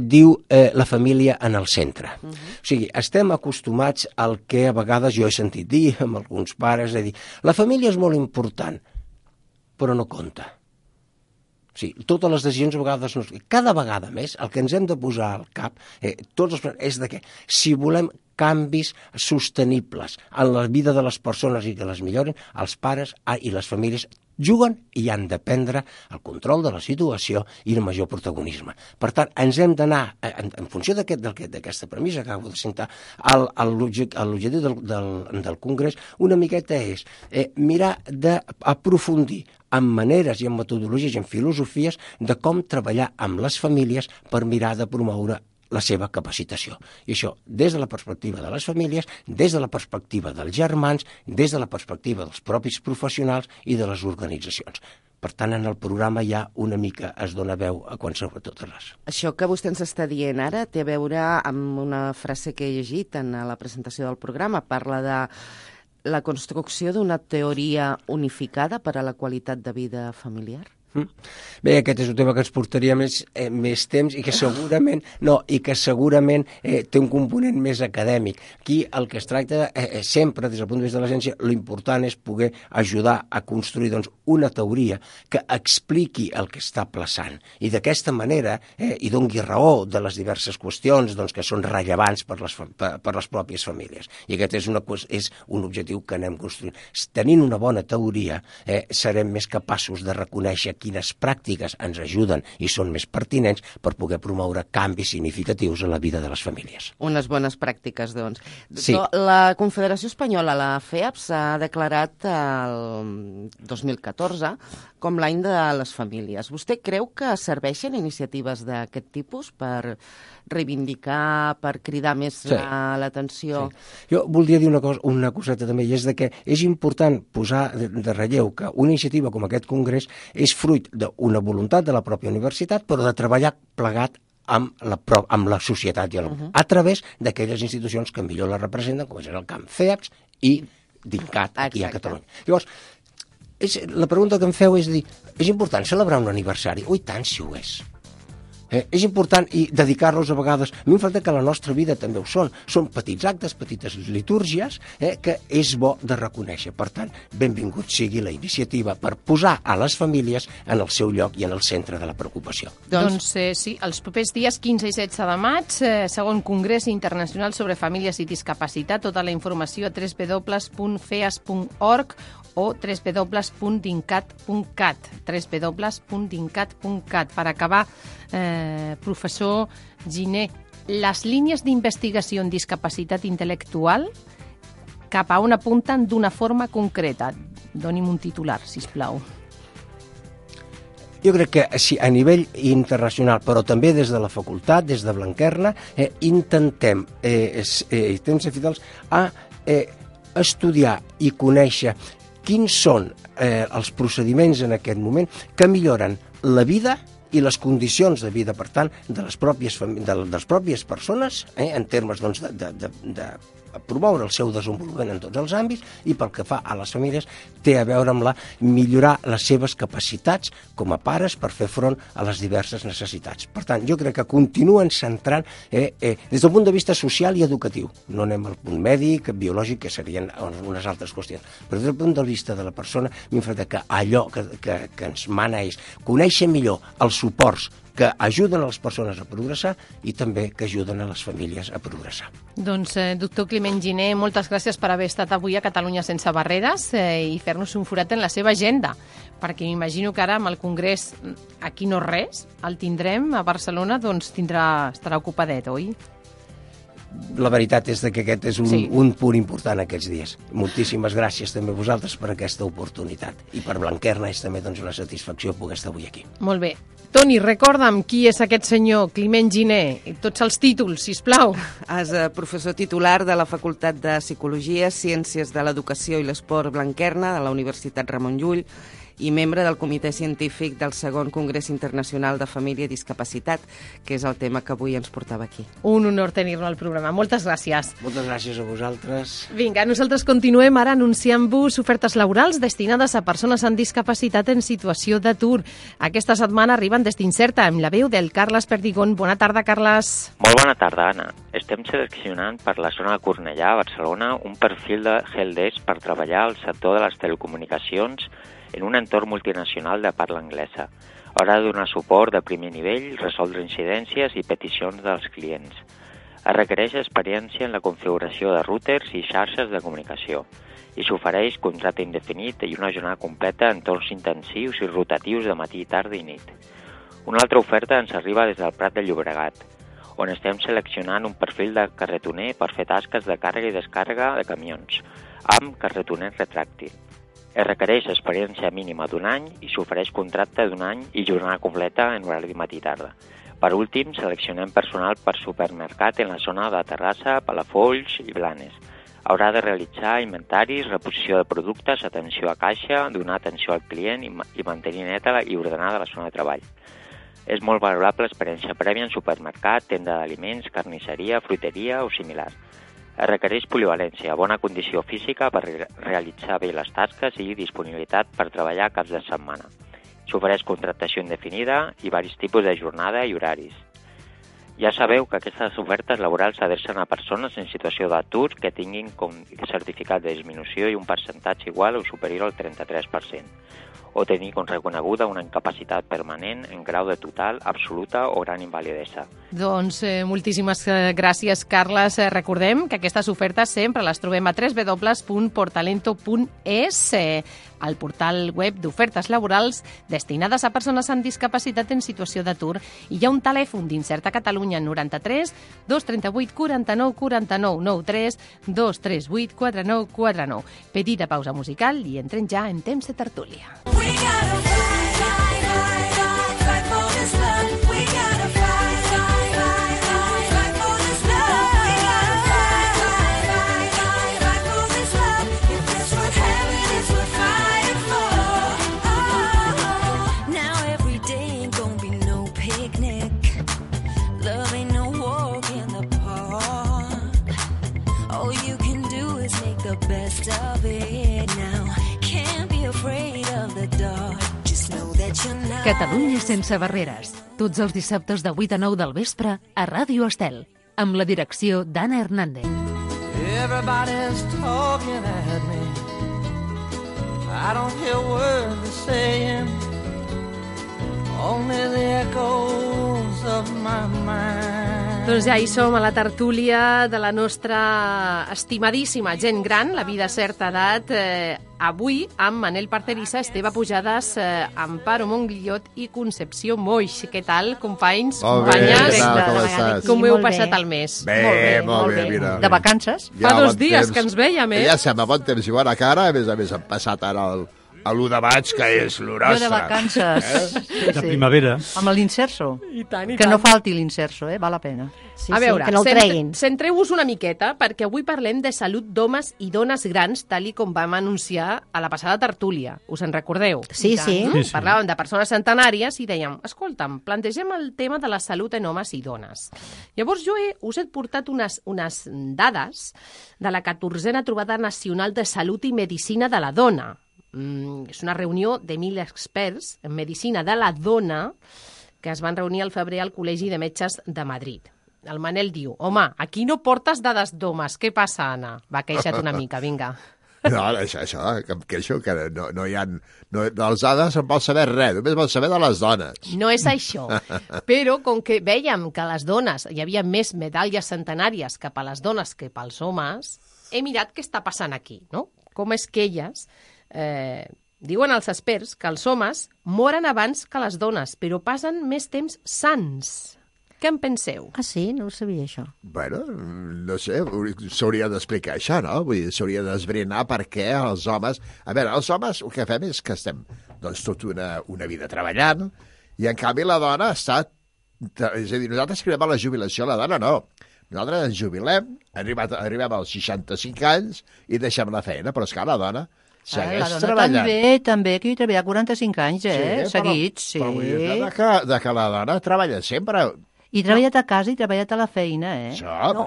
Speaker 9: diu la família en el centre. O sigui, estem acostumats al que a vegades jo he sentit dir amb alguns pares, la família és molt important, però no compta. sigui, totes les decisions a vegades no... Cada vegada més el que ens hem de posar al cap és de que si volem canvis sostenibles en la vida de les persones i que les millorin, els pares i les famílies juguen i han de prendre el control de la situació i el major protagonisme. Per tant, ens hem d'anar, en funció d'aquesta premissa que acabo de citar, l'objectiu del Congrés una miqueta és mirar d'aprofundir en maneres i en metodologies i en filosofies de com treballar amb les famílies per mirar de promoure la seva capacitació. I això des de la perspectiva de les famílies, des de la perspectiva dels germans, des de la perspectiva dels propis professionals i de les organitzacions. Per tant, en el programa ja una mica es dona veu a qualsevol de totes les.
Speaker 3: Això que vostè ens està dient ara té a veure amb una frase que he llegit en la presentació del programa. Parla de la construcció d'una teoria unificada per a la qualitat de vida familiar.
Speaker 9: Bé, aquest és un tema que ens portaria més temps i que segurament té un component més acadèmic. Aquí el que es tracta sempre, des del punt de vista de la ciència, l'important és poder ajudar a construir una teoria que expliqui el que està plaçant i d'aquesta manera hi doni raó de les diverses qüestions que són rellevants per les pròpies famílies. I aquest és un objectiu que anem construint. Tenint una bona teoria serem més capaços de reconèixer quines pràctiques ens ajuden i són més pertinents per poder promoure canvis significatius en la vida de les famílies.
Speaker 3: Unes bones pràctiques, doncs.
Speaker 9: Sí.
Speaker 3: La Confederació Espanyola, la FEAP, s'ha declarat el 2014 com l'any de les famílies. Vostè creu que serveixen iniciatives d'aquest tipus per reivindicar, per cridar més l'atenció?
Speaker 9: Sí. Jo voldria dir una coseta també, i és que és important posar de relleu que una iniciativa com aquest congrés és fruit d'una voluntat de la pròpia universitat, però de treballar plegat amb la societat a través d'aquelles institucions que millor la representen, com és el camp FEAPS i DINCAT aquí a Catalunya. Llavors, la pregunta que em feu és dir, és important celebrar un aniversari? Ui, tant si ho és. És important i dedicar-los a vegades. A mi em falta que la nostra vida també ho són. Són petits actes, petites litúrgies que és bo de reconèixer. Per tant, benvingut sigui la iniciativa per posar a les famílies en el seu lloc i en el centre de la preocupació.
Speaker 2: Doncs sí, els propers dies 15 i 16 de maig, segon Congrés Internacional sobre Famílies i Discapacitat. Tota la informació a www.feas.org o www.dincat.cat, www.dincat.cat. Per acabar, professor Giner, les línies d'investigació en discapacitat intel·lectual cap a on apunten d'una forma concreta? Doni'm un titular, sisplau.
Speaker 9: Jo crec que sí, a nivell internacional, però també des de la facultat, des de Blanquerna, intentem ser fidels a estudiar i conèixer quins són els procediments en aquest moment que milloren la vida i les condicions de vida, per tant, de les pròpies persones, en termes de promoure el seu desenvolupament en tots els àmbits, i pel que fa a les famílies té a veure amb millorar les seves capacitats com a pares per fer front a les diverses necessitats. Per tant, jo crec que continuen centrant des del punt de vista social i educatiu. No anem al punt mèdic, biològic, que serien unes altres qüestions. Però des del punt de vista de la persona, m'hi fa que allò que ens mana és conèixer millor els suports que ajuden a les persones a progressar i també que ajuden a les famílies a progressar.
Speaker 2: Doncs, doctor Climent Giner, moltes gràcies per haver estat avui a Catalunya sense barreres i fer-nos un forat en la seva agenda, perquè m'imagino que ara amb el Congrés aquí no res, el tindrem a Barcelona, doncs estarà ocupadet, oi?
Speaker 9: La veritat és que aquest és un punt important aquests dies. Moltíssimes gràcies també a vosaltres per aquesta oportunitat. I per Blanquerna és també una satisfacció poder estar avui aquí.
Speaker 2: Molt bé. Toni, recorda'm qui és aquest senyor Climent Giner, tots els títols, sisplau.
Speaker 3: És professor titular de la Facultat de Psicologia, Ciències de l'Educació i l'Esport Blanquerna de la Universitat Ramon Llull i membre del Comitè Científic del segon Congrés Internacional de Família i Discapacitat, que és el tema que avui ens portava aquí.
Speaker 2: Un honor tenir-lo al programa. Moltes gràcies.
Speaker 9: Moltes gràcies a vosaltres.
Speaker 2: Vinga, nosaltres continuem ara anunciant-vos ofertes laborals destinades a persones amb discapacitat en situació d'atur. Aquesta setmana arriben des d'Incerta, amb la veu del Carles Perdigón. Bona tarda, Carles.
Speaker 10: Molt bona tarda, Anna. Estem seleccionant per la zona de Cornellà, a Barcelona, un perfil de helpdesk per treballar al sector de les telecomunicacions en un entorn multinacional de parla anglesa. Haurà de donar suport de primer nivell, resoldre incidències i peticions dels clients. Es requereix experiència en la configuració de routers i xarxes de comunicació i s'ofereix contracte indefinit i una jornada completa en torns intensius i rotatius de matí, tarda i nit. Una altra oferta ens arriba des del Prat de Llobregat, on estem seleccionant un perfil de carretoner per fer tasques de càrrega i descàrrega de camions, amb carretoner retràctil. Es requereix experiència mínima d'1 any i s'ofereix contracte d'1 any i jornada completa en horari de matí i tarda. Per últim, seleccionem personal per supermercat en la zona de Terrassa, Palafolls i Blanes. Haurà de realitzar inventaris, reposició de productes, atenció a caixa, donar atenció al client i mantenir neta i ordenada la zona de treball. És molt valorable l'experiència prèvia en supermercat, tenda d'aliments, carnisseria, fruiteria o similar. Es requereix polivalència, bona condició física per realitzar bé les tasques i disponibilitat per treballar caps de setmana. S'ofereix contractació indefinida i varis tipus de jornada i horaris. Ja sabeu que aquestes ofertes laborals s'adrecen a persones en situació d'atur que tinguin com certificat de disminució i un percentatge igual o superior al 33%, o tenir com reconeguda una incapacitat permanent en grau de total, absoluta o gran invalidesa.
Speaker 2: Doncs moltíssimes gràcies, Carles. Recordem que aquestes ofertes sempre les trobem a www.portalento.es, al portal web d'ofertes laborals destinades a persones amb discapacitat en situació d'atur. I hi ha un telèfon d'Inserta Catalunya 93 238 49 49 93 238 49 49. Petita pausa musical i entrem ja en temps de tertúlia.
Speaker 1: Catalunya sense barreres. Tots els dissabtes de 8 a 9 del vespre a Ràdio Estel, amb la direcció d'Anna Hernández.
Speaker 8: Everybody's talking at me. I don't hear words they're saying. Only the echoes of my mind.
Speaker 2: Doncs ja hi som a la tertúlia de la nostra estimadíssima gent gran, la vida a certa edat, avui amb Manel Parcerisa, Esteve Pujades, Amparo Monguillot i Concepció Moix. Què tal, companys, companyes?
Speaker 11: Com estàs?
Speaker 2: Com heu passat el mes?
Speaker 11: Molt bé, mira.
Speaker 12: De vacances?
Speaker 2: Fa 2 dies que ens vèiem,
Speaker 11: Ja sembla bon temps i bona cara, a més hem passat ara a l'1 de maig, que és l'horostre.
Speaker 12: Jo de vacances. Sí,
Speaker 13: de primavera.
Speaker 12: Amb l'inserso.
Speaker 2: I tant, i
Speaker 12: que
Speaker 2: tant.
Speaker 12: no falti l'inserso, val la pena.
Speaker 6: Sí,
Speaker 2: a veure,
Speaker 6: que no el treguin.
Speaker 2: centreu-vos una miqueta, perquè avui parlem de salut d'homes i dones grans, tal i com vam anunciar a la passada tertúlia. Us en recordeu?
Speaker 6: Sí.
Speaker 2: Parlàvem de persones centenàries i dèiem, escolta'm, plantegem el tema de la salut en homes i dones. Llavors jo us he portat unes dades de la 14a Trobada Nacional de Salut i Medicina de la Dona. És una reunió de 1.000 experts en medicina de la dona que es van reunir al febrer al Col·legi de Metges de Madrid. El Manel diu, home, aquí no portes dades d'homes, què passa, Anna? Va, queixa't una mica, vinga.
Speaker 11: No, això, que em queixo, que no hi ha... dels dades en vol saber res, només vol saber de les dones.
Speaker 2: No és això, però com que vèiem que a les dones hi havia més medalles centenàries cap a les dones que pels homes, he mirat què està passant aquí, no? Com és que elles... diuen els experts que els homes moren abans que les dones, però passen més temps sans. Què en penseu?
Speaker 6: Ah, sí? No ho sabia, això.
Speaker 11: Bueno, no sé, s'hauria d'explicar això, no? Vull dir, s'hauria d'esbrinar per què els homes... A veure, els homes el que fem és que estem doncs, tota una vida treballant i, en canvi, la dona està... És a dir, nosaltres arribem a la jubilació, la dona no. Nosaltres ens jubilem, arribem als 65 anys i deixem la feina, però és que la dona... segueix
Speaker 12: la dona
Speaker 11: treballant.
Speaker 12: també, que hi treballa 45 anys, seguits, sí.
Speaker 11: Però vull dir que la dona treballa sempre.
Speaker 12: I treballat a casa i treballat a la feina,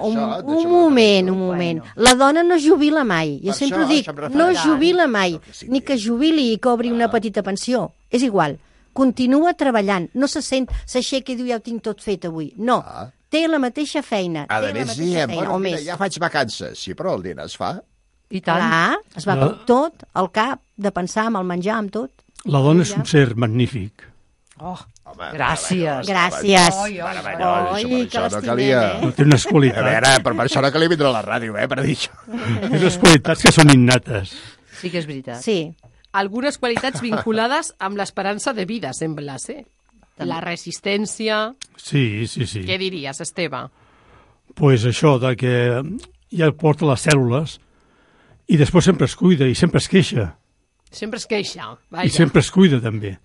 Speaker 6: Un moment. La dona no jubila mai. Jo sempre ho dic, no jubila mai. Ni que jubili i cobri una petita pensió. És igual. Continua treballant. No se sent, s'aixeca i diu, ja ho tinc tot fet avui. No. Té la mateixa feina.
Speaker 11: A més, diem, mira, ja faig vacances. Sí, però el dinar es fa.
Speaker 12: I tant.
Speaker 6: Clar, es va tot, al cap, de pensar amb el menjar, amb tot.
Speaker 13: La dona és un ser magnífic.
Speaker 6: Oh,
Speaker 11: Home,
Speaker 12: gràcies.
Speaker 13: Gràcies.
Speaker 11: Meravellós,
Speaker 13: Oi, que
Speaker 11: això no
Speaker 13: l'estimem,
Speaker 11: calia.
Speaker 14: No té unes
Speaker 11: A
Speaker 14: qualitats.
Speaker 11: veure, per això no calia vindre a la ràdio, per dir això.
Speaker 14: Té unes qualitats que són innates.
Speaker 12: Sí que és veritat.
Speaker 13: Sí.
Speaker 2: Algunes qualitats vinculades amb l'esperança de vida, sembla ser. La resistència...
Speaker 14: Sí.
Speaker 2: Què diries, Esteve?
Speaker 14: Pues això, de que ja porta les cèl·lules i després sempre es cuida i sempre es queixa.
Speaker 2: Sempre es queixa, vaja.
Speaker 14: I sempre es cuida, també.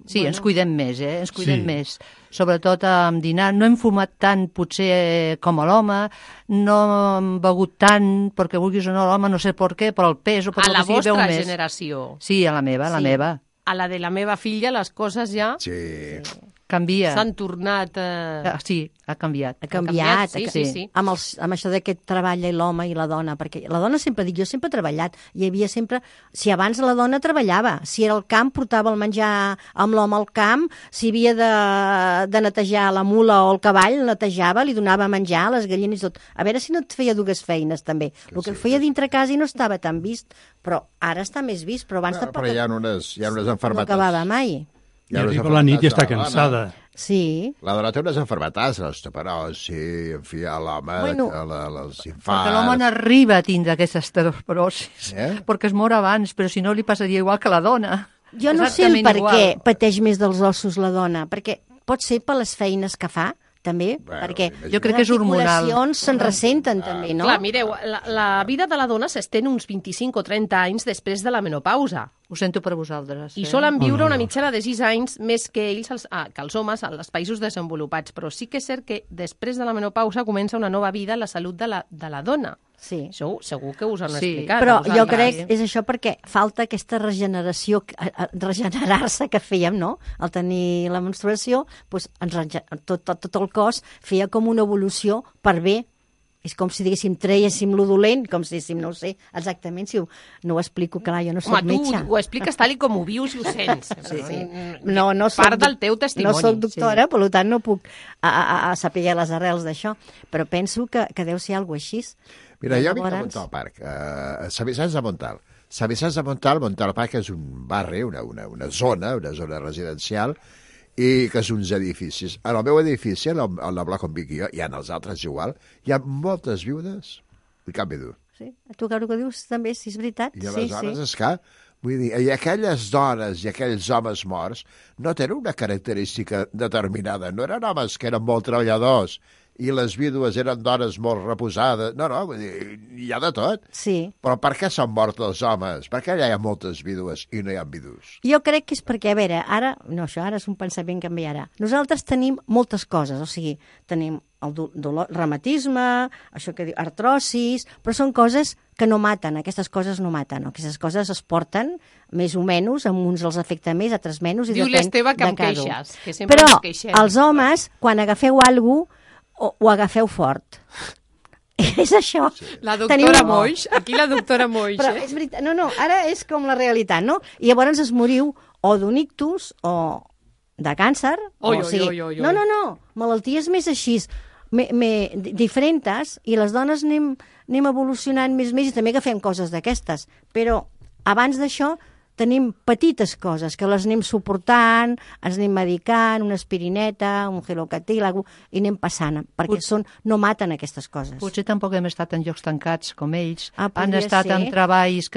Speaker 12: Sí, ens cuidem més, Ens cuidem
Speaker 14: Sí.
Speaker 12: més. Sobretot amb dinar. No hem fumat tant, potser, com a l'home. No hem begut tant, perquè vulguis o no, l'home, no sé per què, però el pes o per
Speaker 2: A la
Speaker 12: el que sigui,
Speaker 2: vostra
Speaker 12: beu més.
Speaker 2: generació.
Speaker 12: Sí, a la meva.
Speaker 2: A la de la meva filla les coses ja
Speaker 12: Canvia.
Speaker 2: s'han tornat...
Speaker 12: Sí, ha canviat.
Speaker 13: Ha canviat,
Speaker 2: sí.
Speaker 13: Amb això d'aquest treball i l'home i la dona, perquè la dona sempre dic, jo sempre he treballat, hi havia sempre, si abans la dona treballava, si era al camp portava el menjar amb l'home al camp, si havia de netejar la mula o el cavall, netejava, li donava menjar a les gallines i tot. A veure si no et feia dues feines també. El que feia dintre casa i no estava tan vist, però ara està més vist, però abans
Speaker 11: Però hi ha unes
Speaker 13: no
Speaker 11: enfermetats.
Speaker 13: acabava mai.
Speaker 14: I arriba la nit i està cansada.
Speaker 13: Sí.
Speaker 11: La dona té unes enfermetats, l'osteoporosi, en fi, a l'home,
Speaker 12: Bueno,
Speaker 11: els
Speaker 12: Perquè
Speaker 11: infarts...
Speaker 12: l'home no arriba a tindre aquesta osteoporosi,
Speaker 11: Eh?
Speaker 12: perquè es mor abans, però si no li passaria igual que la dona.
Speaker 13: Jo no sé el
Speaker 12: Exactament
Speaker 13: per
Speaker 12: igual.
Speaker 13: què pateix més dels ossos la dona, perquè pot ser per les feines que fa, també, perquè
Speaker 12: Jo crec que és hormonal.
Speaker 13: les articulacions se'n ressenten també, no?
Speaker 2: Clar, mireu, la vida de la dona s'estén uns 25 o 30 anys després de la menopausa.
Speaker 12: Ho sento per vosaltres.
Speaker 2: I solen viure una mitjana de 6 anys més que ells, que els homes, als països desenvolupats. Però sí que és cert que després de la menopausa comença una nova vida a la salut de la dona.
Speaker 13: Sí.
Speaker 2: Això segur que us han
Speaker 12: Sí,
Speaker 2: explicat.
Speaker 13: Però
Speaker 2: a
Speaker 13: jo
Speaker 2: vosaltres.
Speaker 13: crec que és això perquè falta aquesta regeneració, regenerar-se que fèiem, no? Al tenir la menstruació, doncs tot el cos feia com una evolució per bé. És com si diguéssim, trèiéssim lo dolent, com si diguéssim, no ho sé exactament, si no ho explico, clar, jo no soc
Speaker 2: Home,
Speaker 13: metge.
Speaker 2: tu ho expliques tal i com ho vius i ho sents.
Speaker 13: Sí. No soc,
Speaker 2: Part del teu testimoni.
Speaker 13: No soc doctora, per tant no puc saber les arrels d'això, però penso que deu ser alguna cosa així.
Speaker 11: Mira, jo vinc a
Speaker 13: Llavors-
Speaker 11: Montal Park, a Sant Vicenç de Montal. Sant Vicenç de Montal, Montal Park és un barri, una zona residencial, i que és uns edificis. En el meu edifici, en el bloc on vinc jo, i en els altres igual, hi ha moltes viudes i cap vidu.
Speaker 13: Sí, tu que dius també, si és veritat.
Speaker 11: I aleshores és que, vull dir, i aquelles dones i aquells homes morts no tenen una característica determinada. No eren homes que eren molt treballadors i les vídues eren dones molt reposades. No, vull dir, hi ha de tot.
Speaker 13: Sí.
Speaker 11: Però per què s'han mort els homes? Per què allà hi ha moltes vídues i no hi ha vidus?
Speaker 13: Jo crec que és perquè, a veure, ara és un pensament que canviarà. Nosaltres tenim moltes coses, o sigui, tenim el reumatisme, això que diu artrosis, però són coses que no maten, aquestes coses no maten, aquestes coses es porten més o menys, amb uns els afecta més, altres menys, i
Speaker 2: Diu
Speaker 13: depèn
Speaker 2: l'Esteve que
Speaker 13: de
Speaker 2: em
Speaker 13: cada un.
Speaker 2: queixes, que sempre
Speaker 13: Però
Speaker 2: ens queixem.
Speaker 13: els homes, quan agafeu alguna cosa, ho agafeu fort. És això.
Speaker 2: La doctora Moix, aquí la doctora Moix,
Speaker 13: Però és veritat, no, ara és com la realitat, no? I llavors es moriu o d'un ictus o de càncer.
Speaker 2: Oi,
Speaker 13: o sigui,
Speaker 2: oi.
Speaker 13: No, malalties més així, diferents, i les dones anem evolucionant més i també agafem coses d'aquestes. Però abans d'això tenim petites coses que les anem suportant, ens anem medicant, una aspirineta, un gelocatil, i anem passant, perquè no maten aquestes coses.
Speaker 12: Potser tampoc hem estat en llocs tancats com ells. Han
Speaker 13: podria
Speaker 12: estat
Speaker 13: ser.
Speaker 12: en treballs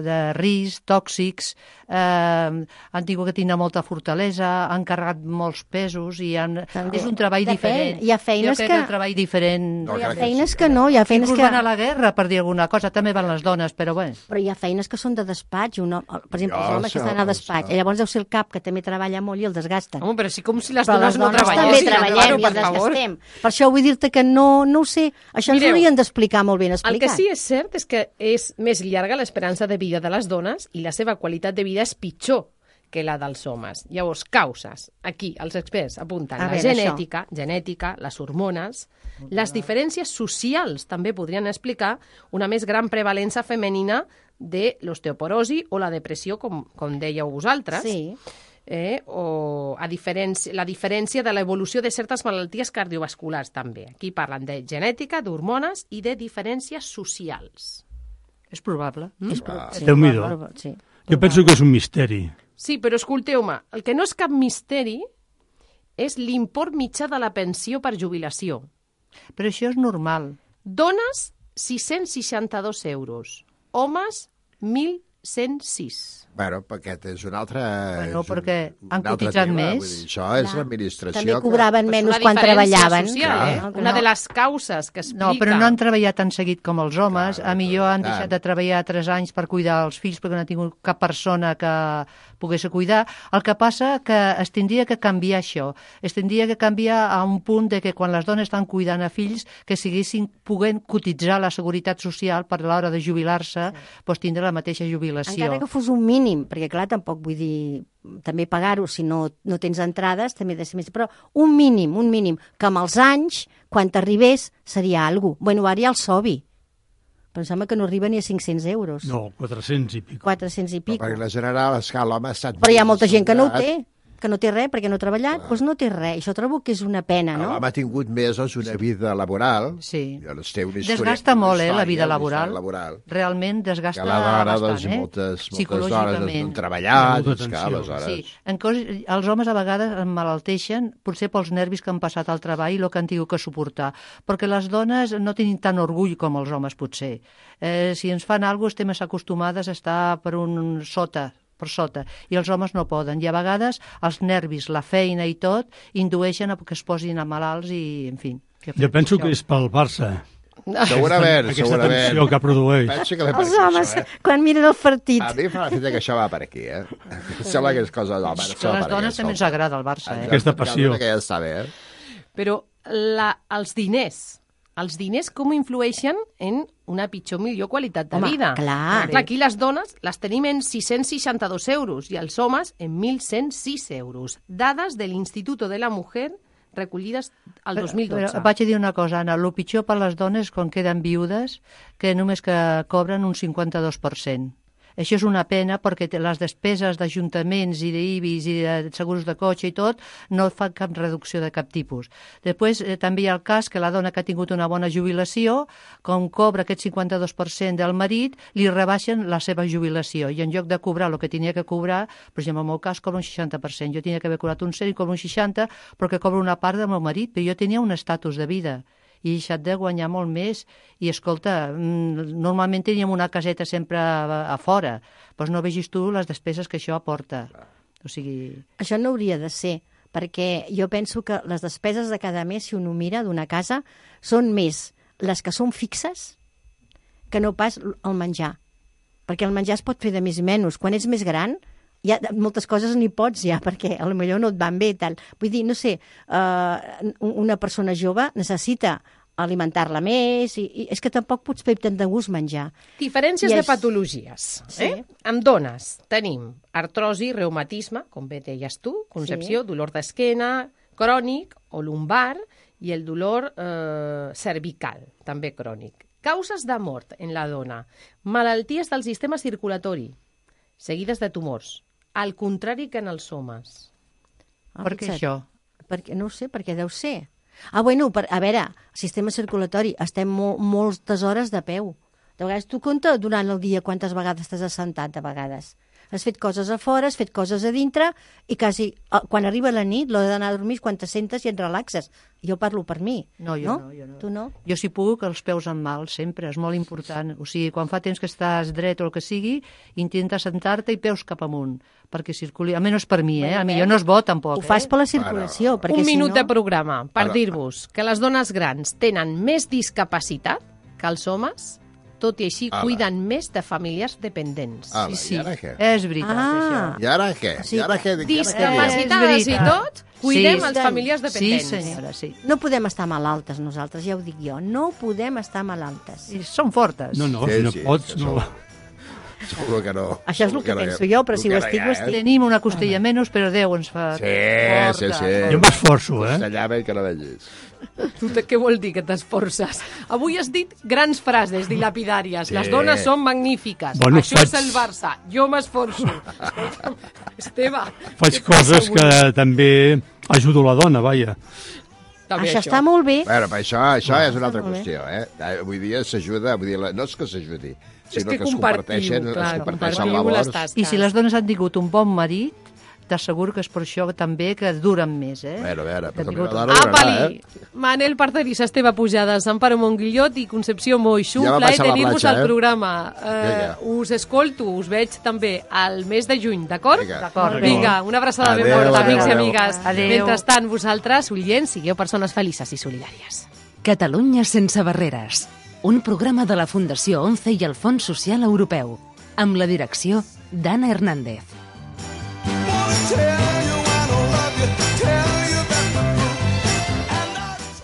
Speaker 12: de risc, tòxics, han tingut que tindre molta fortalesa, han carregat molts pesos i és un treball diferent.
Speaker 13: Hi ha feines
Speaker 12: jo crec que el treball diferent...
Speaker 13: Hi ha feines que no, hi ha feines
Speaker 12: Inclús
Speaker 13: que...
Speaker 12: van a la guerra, per dir alguna cosa, també van les dones, però bé.
Speaker 13: Però hi ha feines que són de despatx, per exemple, els homes que estan a despatx, i llavors deu ser el cap, que també treballa molt i el desgasten.
Speaker 2: Home, però sí com si les
Speaker 13: Però
Speaker 2: dones no
Speaker 13: també
Speaker 2: treballessin.
Speaker 13: treballem i
Speaker 2: per
Speaker 13: el
Speaker 2: favor.
Speaker 13: desgastem. Per això vull dir-te que no ho sé, això ens
Speaker 2: Mireu,
Speaker 13: haurien d'explicar molt ben explicat.
Speaker 2: El que sí és cert és que és més llarga l'esperança de vida de les dones i la seva qualitat de vida és pitjor que la dels homes. Llavors, causes. Aquí, els experts apunten
Speaker 13: A
Speaker 2: la
Speaker 13: veure,
Speaker 2: genètica, les hormones, les diferències socials també podrien explicar una més gran prevalença femenina de l'osteoporosi o la depressió, com dèieu vosaltres.
Speaker 13: Sí.
Speaker 2: O la diferència de l'evolució de certes malalties cardiovasculars també. Aquí parlen de genètica, d'hormones i de diferències socials.
Speaker 12: És probable.
Speaker 14: Déu-n'hi-do.
Speaker 13: Sí.
Speaker 14: Jo penso que és un misteri.
Speaker 6: Sí, però escolteu-me, el que no és cap misteri és l'import mitjà de la pensió per jubilació.
Speaker 12: Però això és normal.
Speaker 6: Dones, 662 euros. Homes, 1.106.
Speaker 11: Bueno, perquè és un altre...
Speaker 12: Bueno, perquè han cotitzat més.
Speaker 11: Vull dir, això és l'administració.
Speaker 13: També cobraven menys quan treballaven.
Speaker 6: Social, una de les causes que explica...
Speaker 12: No, però no han treballat tan seguit com els homes. A millor han deixat de treballar 3 anys per cuidar els fills perquè no ha tingut cap persona que pogués cuidar. El que passa que es tindria que canviar això. Es tindria que canviar a un punt de que quan les dones estan cuidant a fills que siguessin poguent cotitzar la seguretat social per a l'hora de jubilar-se, doncs tindre la mateixa jubilació.
Speaker 13: Encara que fos un mínim, perquè clar, tampoc vull dir també pagar-ho si no tens entrades, també ha de ser més, però un mínim, que amb els anys, quan t'arribés, seria alguna cosa. Bueno, ara hi ha el SOBI, però em sembla que no arriba ni a 500 euros.
Speaker 14: No, 400 i pico.
Speaker 13: 400 i pico.
Speaker 11: Perquè la general, esclar, l'home ha estat...
Speaker 13: Però hi ha molta gent que no ho té, que no té res perquè no ha treballat, doncs no té res. Això trobo que és una pena, no?
Speaker 11: L'home ha tingut mesos una vida laboral.
Speaker 12: Sí.
Speaker 11: Té una història,
Speaker 12: desgasta molt, la vida laboral.
Speaker 11: laboral.
Speaker 12: Realment desgasta
Speaker 11: que la dona,
Speaker 12: bastant,
Speaker 11: moltes dones han treballat, aleshores...
Speaker 12: Sí. Els homes a vegades emmalalteixen, potser pels nervis que han passat al treball i el que han tingut que suportar, perquè les dones no tenen tant orgull com els homes, potser. Si ens fan alguna cosa, estem més acostumades a estar per sota, i els homes no poden. I a vegades els nervis, la feina i tot, indueixen a que es posin a malalts i, en fi...
Speaker 14: Jo penso que és pel Barça.
Speaker 11: Segurament.
Speaker 14: Aquesta tensió que produeix.
Speaker 13: Els homes, quan miren el partit.
Speaker 11: A mi fa la fita que això va per aquí, Sembla que és cosa d'home.
Speaker 12: Que a les dones també ens agrada el Barça,
Speaker 14: Aquesta passió.
Speaker 11: Que ja està bé,
Speaker 6: Però els diners com influeixen en una pitjor, millor qualitat de vida.
Speaker 13: Clar.
Speaker 6: Aquí les dones les tenim en 662 euros i els homes en 1.106 euros. Dades de l'Institut de la Mujer recollides al 2012.
Speaker 12: Però vaig a dir una cosa, Anna, el pitjor per les dones quan queden viudes, que només que cobren un 52%. Això és una pena perquè les despeses d'ajuntaments i d'IBIs i de segurs de cotxe i tot no fan cap reducció de cap tipus. Després també hi ha el cas que la dona que ha tingut una bona jubilació, com cobra aquest 52% del marit, li rebaixen la seva jubilació i en lloc de cobrar el que tenia que cobrar, per exemple, en el meu cas cobra un 60%. Jo tenia que haver cobrat un 100 i cobro un 60 perquè cobro una part del meu marit, però jo tenia un estatus de vida i he deixat de guanyar molt més. I, escolta, normalment teníem una caseta sempre a fora, doncs no vegis tu les despeses que això aporta. O sigui...
Speaker 13: Això no hauria de ser, perquè jo penso que les despeses de cada mes, si un ho mira, d'una casa, són més les que són fixes que no pas el menjar. Perquè el menjar es pot fer de més i menys. Quan ets més gran, ja moltes coses n'hi pots ja, perquè potser no et van bé. Tal. Vull dir, no sé, una persona jove necessita alimentar-la més i és que tampoc pots fer tant de gust menjar.
Speaker 6: Diferències de patologies.
Speaker 13: Sí.
Speaker 6: Amb dones tenim artrosi, reumatisme, com bé deies tu, concepció, dolor d'esquena, crònic o lumbar i el dolor cervical, també crònic. Causes de mort en la dona, malalties del sistema circulatori, seguides de tumors, al contrari que en els homes.
Speaker 12: Per què això?
Speaker 13: Perquè, no ho sé, perquè deu ser. Bueno, a veure, sistema circulatori, estem moltes hores de peu. De vegades tu compta durant el dia quantes vegades t'has assentat, de vegades. Has fet coses a fora, has fet coses a dintre i quasi, quan arriba la nit, l'hora d'anar a dormir, quan te sentes i et relaxes. Jo parlo per mi.
Speaker 12: No, jo no.
Speaker 13: Tu no?
Speaker 12: Jo si puc, els peus en mal, sempre, és molt important. O sigui, quan fa temps que estàs dret o el que sigui, intenta sentar-te i peus cap amunt, perquè circuli. Almenys per mi, a millor no és bo, tampoc.
Speaker 13: Ho fas per la circulació. Perquè
Speaker 6: Un minut de programa per dir-vos que les dones grans tenen més discapacitat que els homes, tot i així cuiden més de famílies dependents.
Speaker 11: I ara què?
Speaker 12: És veritat, això.
Speaker 11: I ara què?
Speaker 13: Sí.
Speaker 6: Discapacitades i tot, cuidem les famílies dependents.
Speaker 12: Sí, senyora, sí.
Speaker 13: No podem estar malaltes nosaltres, ja ho dic jo. No podem estar malaltes.
Speaker 12: I són fortes.
Speaker 14: No, si no pots, no.
Speaker 11: Segur que no.
Speaker 13: Això és el que penso jo, però si ho estic, ho estic.
Speaker 12: Tenim una costella menys, però Déu ens fa...
Speaker 11: Sí.
Speaker 14: Jo m'esforço,
Speaker 11: S'allava que no vegis.
Speaker 6: Tu què vol dir que t'esforces? Avui has dit grans frases dilapidàries. Les dones són magnífiques.
Speaker 14: Bueno,
Speaker 6: això és el Barça. Jo m'esforço. Esteve.
Speaker 14: Faig coses que també ajudo la dona, vaja.
Speaker 13: Això està molt bé.
Speaker 11: Bueno, però això és una altra qüestió, Avui dia s'ajuda, no és que s'ajudi, sinó que es comparteixen valors.
Speaker 12: I si les dones han tingut un bon marit, t'asseguro que és per això també que duren més, eh?
Speaker 11: A veure, però també
Speaker 2: la dona durarà, Manel Parceris, Esteve Pujades, Amparo Monguillot i Concepció Moixú, plaer tenir-vos al programa. Us escolto, us veig també al mes de juny, d'acord? Vinga, una abraçada ben forta, amics i amigues. Mentrestant, vosaltres, oients, sigueu persones felices i solidàries.
Speaker 1: Catalunya sense barreres, un programa de la Fundació ONCE i el Fons Social Europeu, amb la direcció d'Anna Hernández.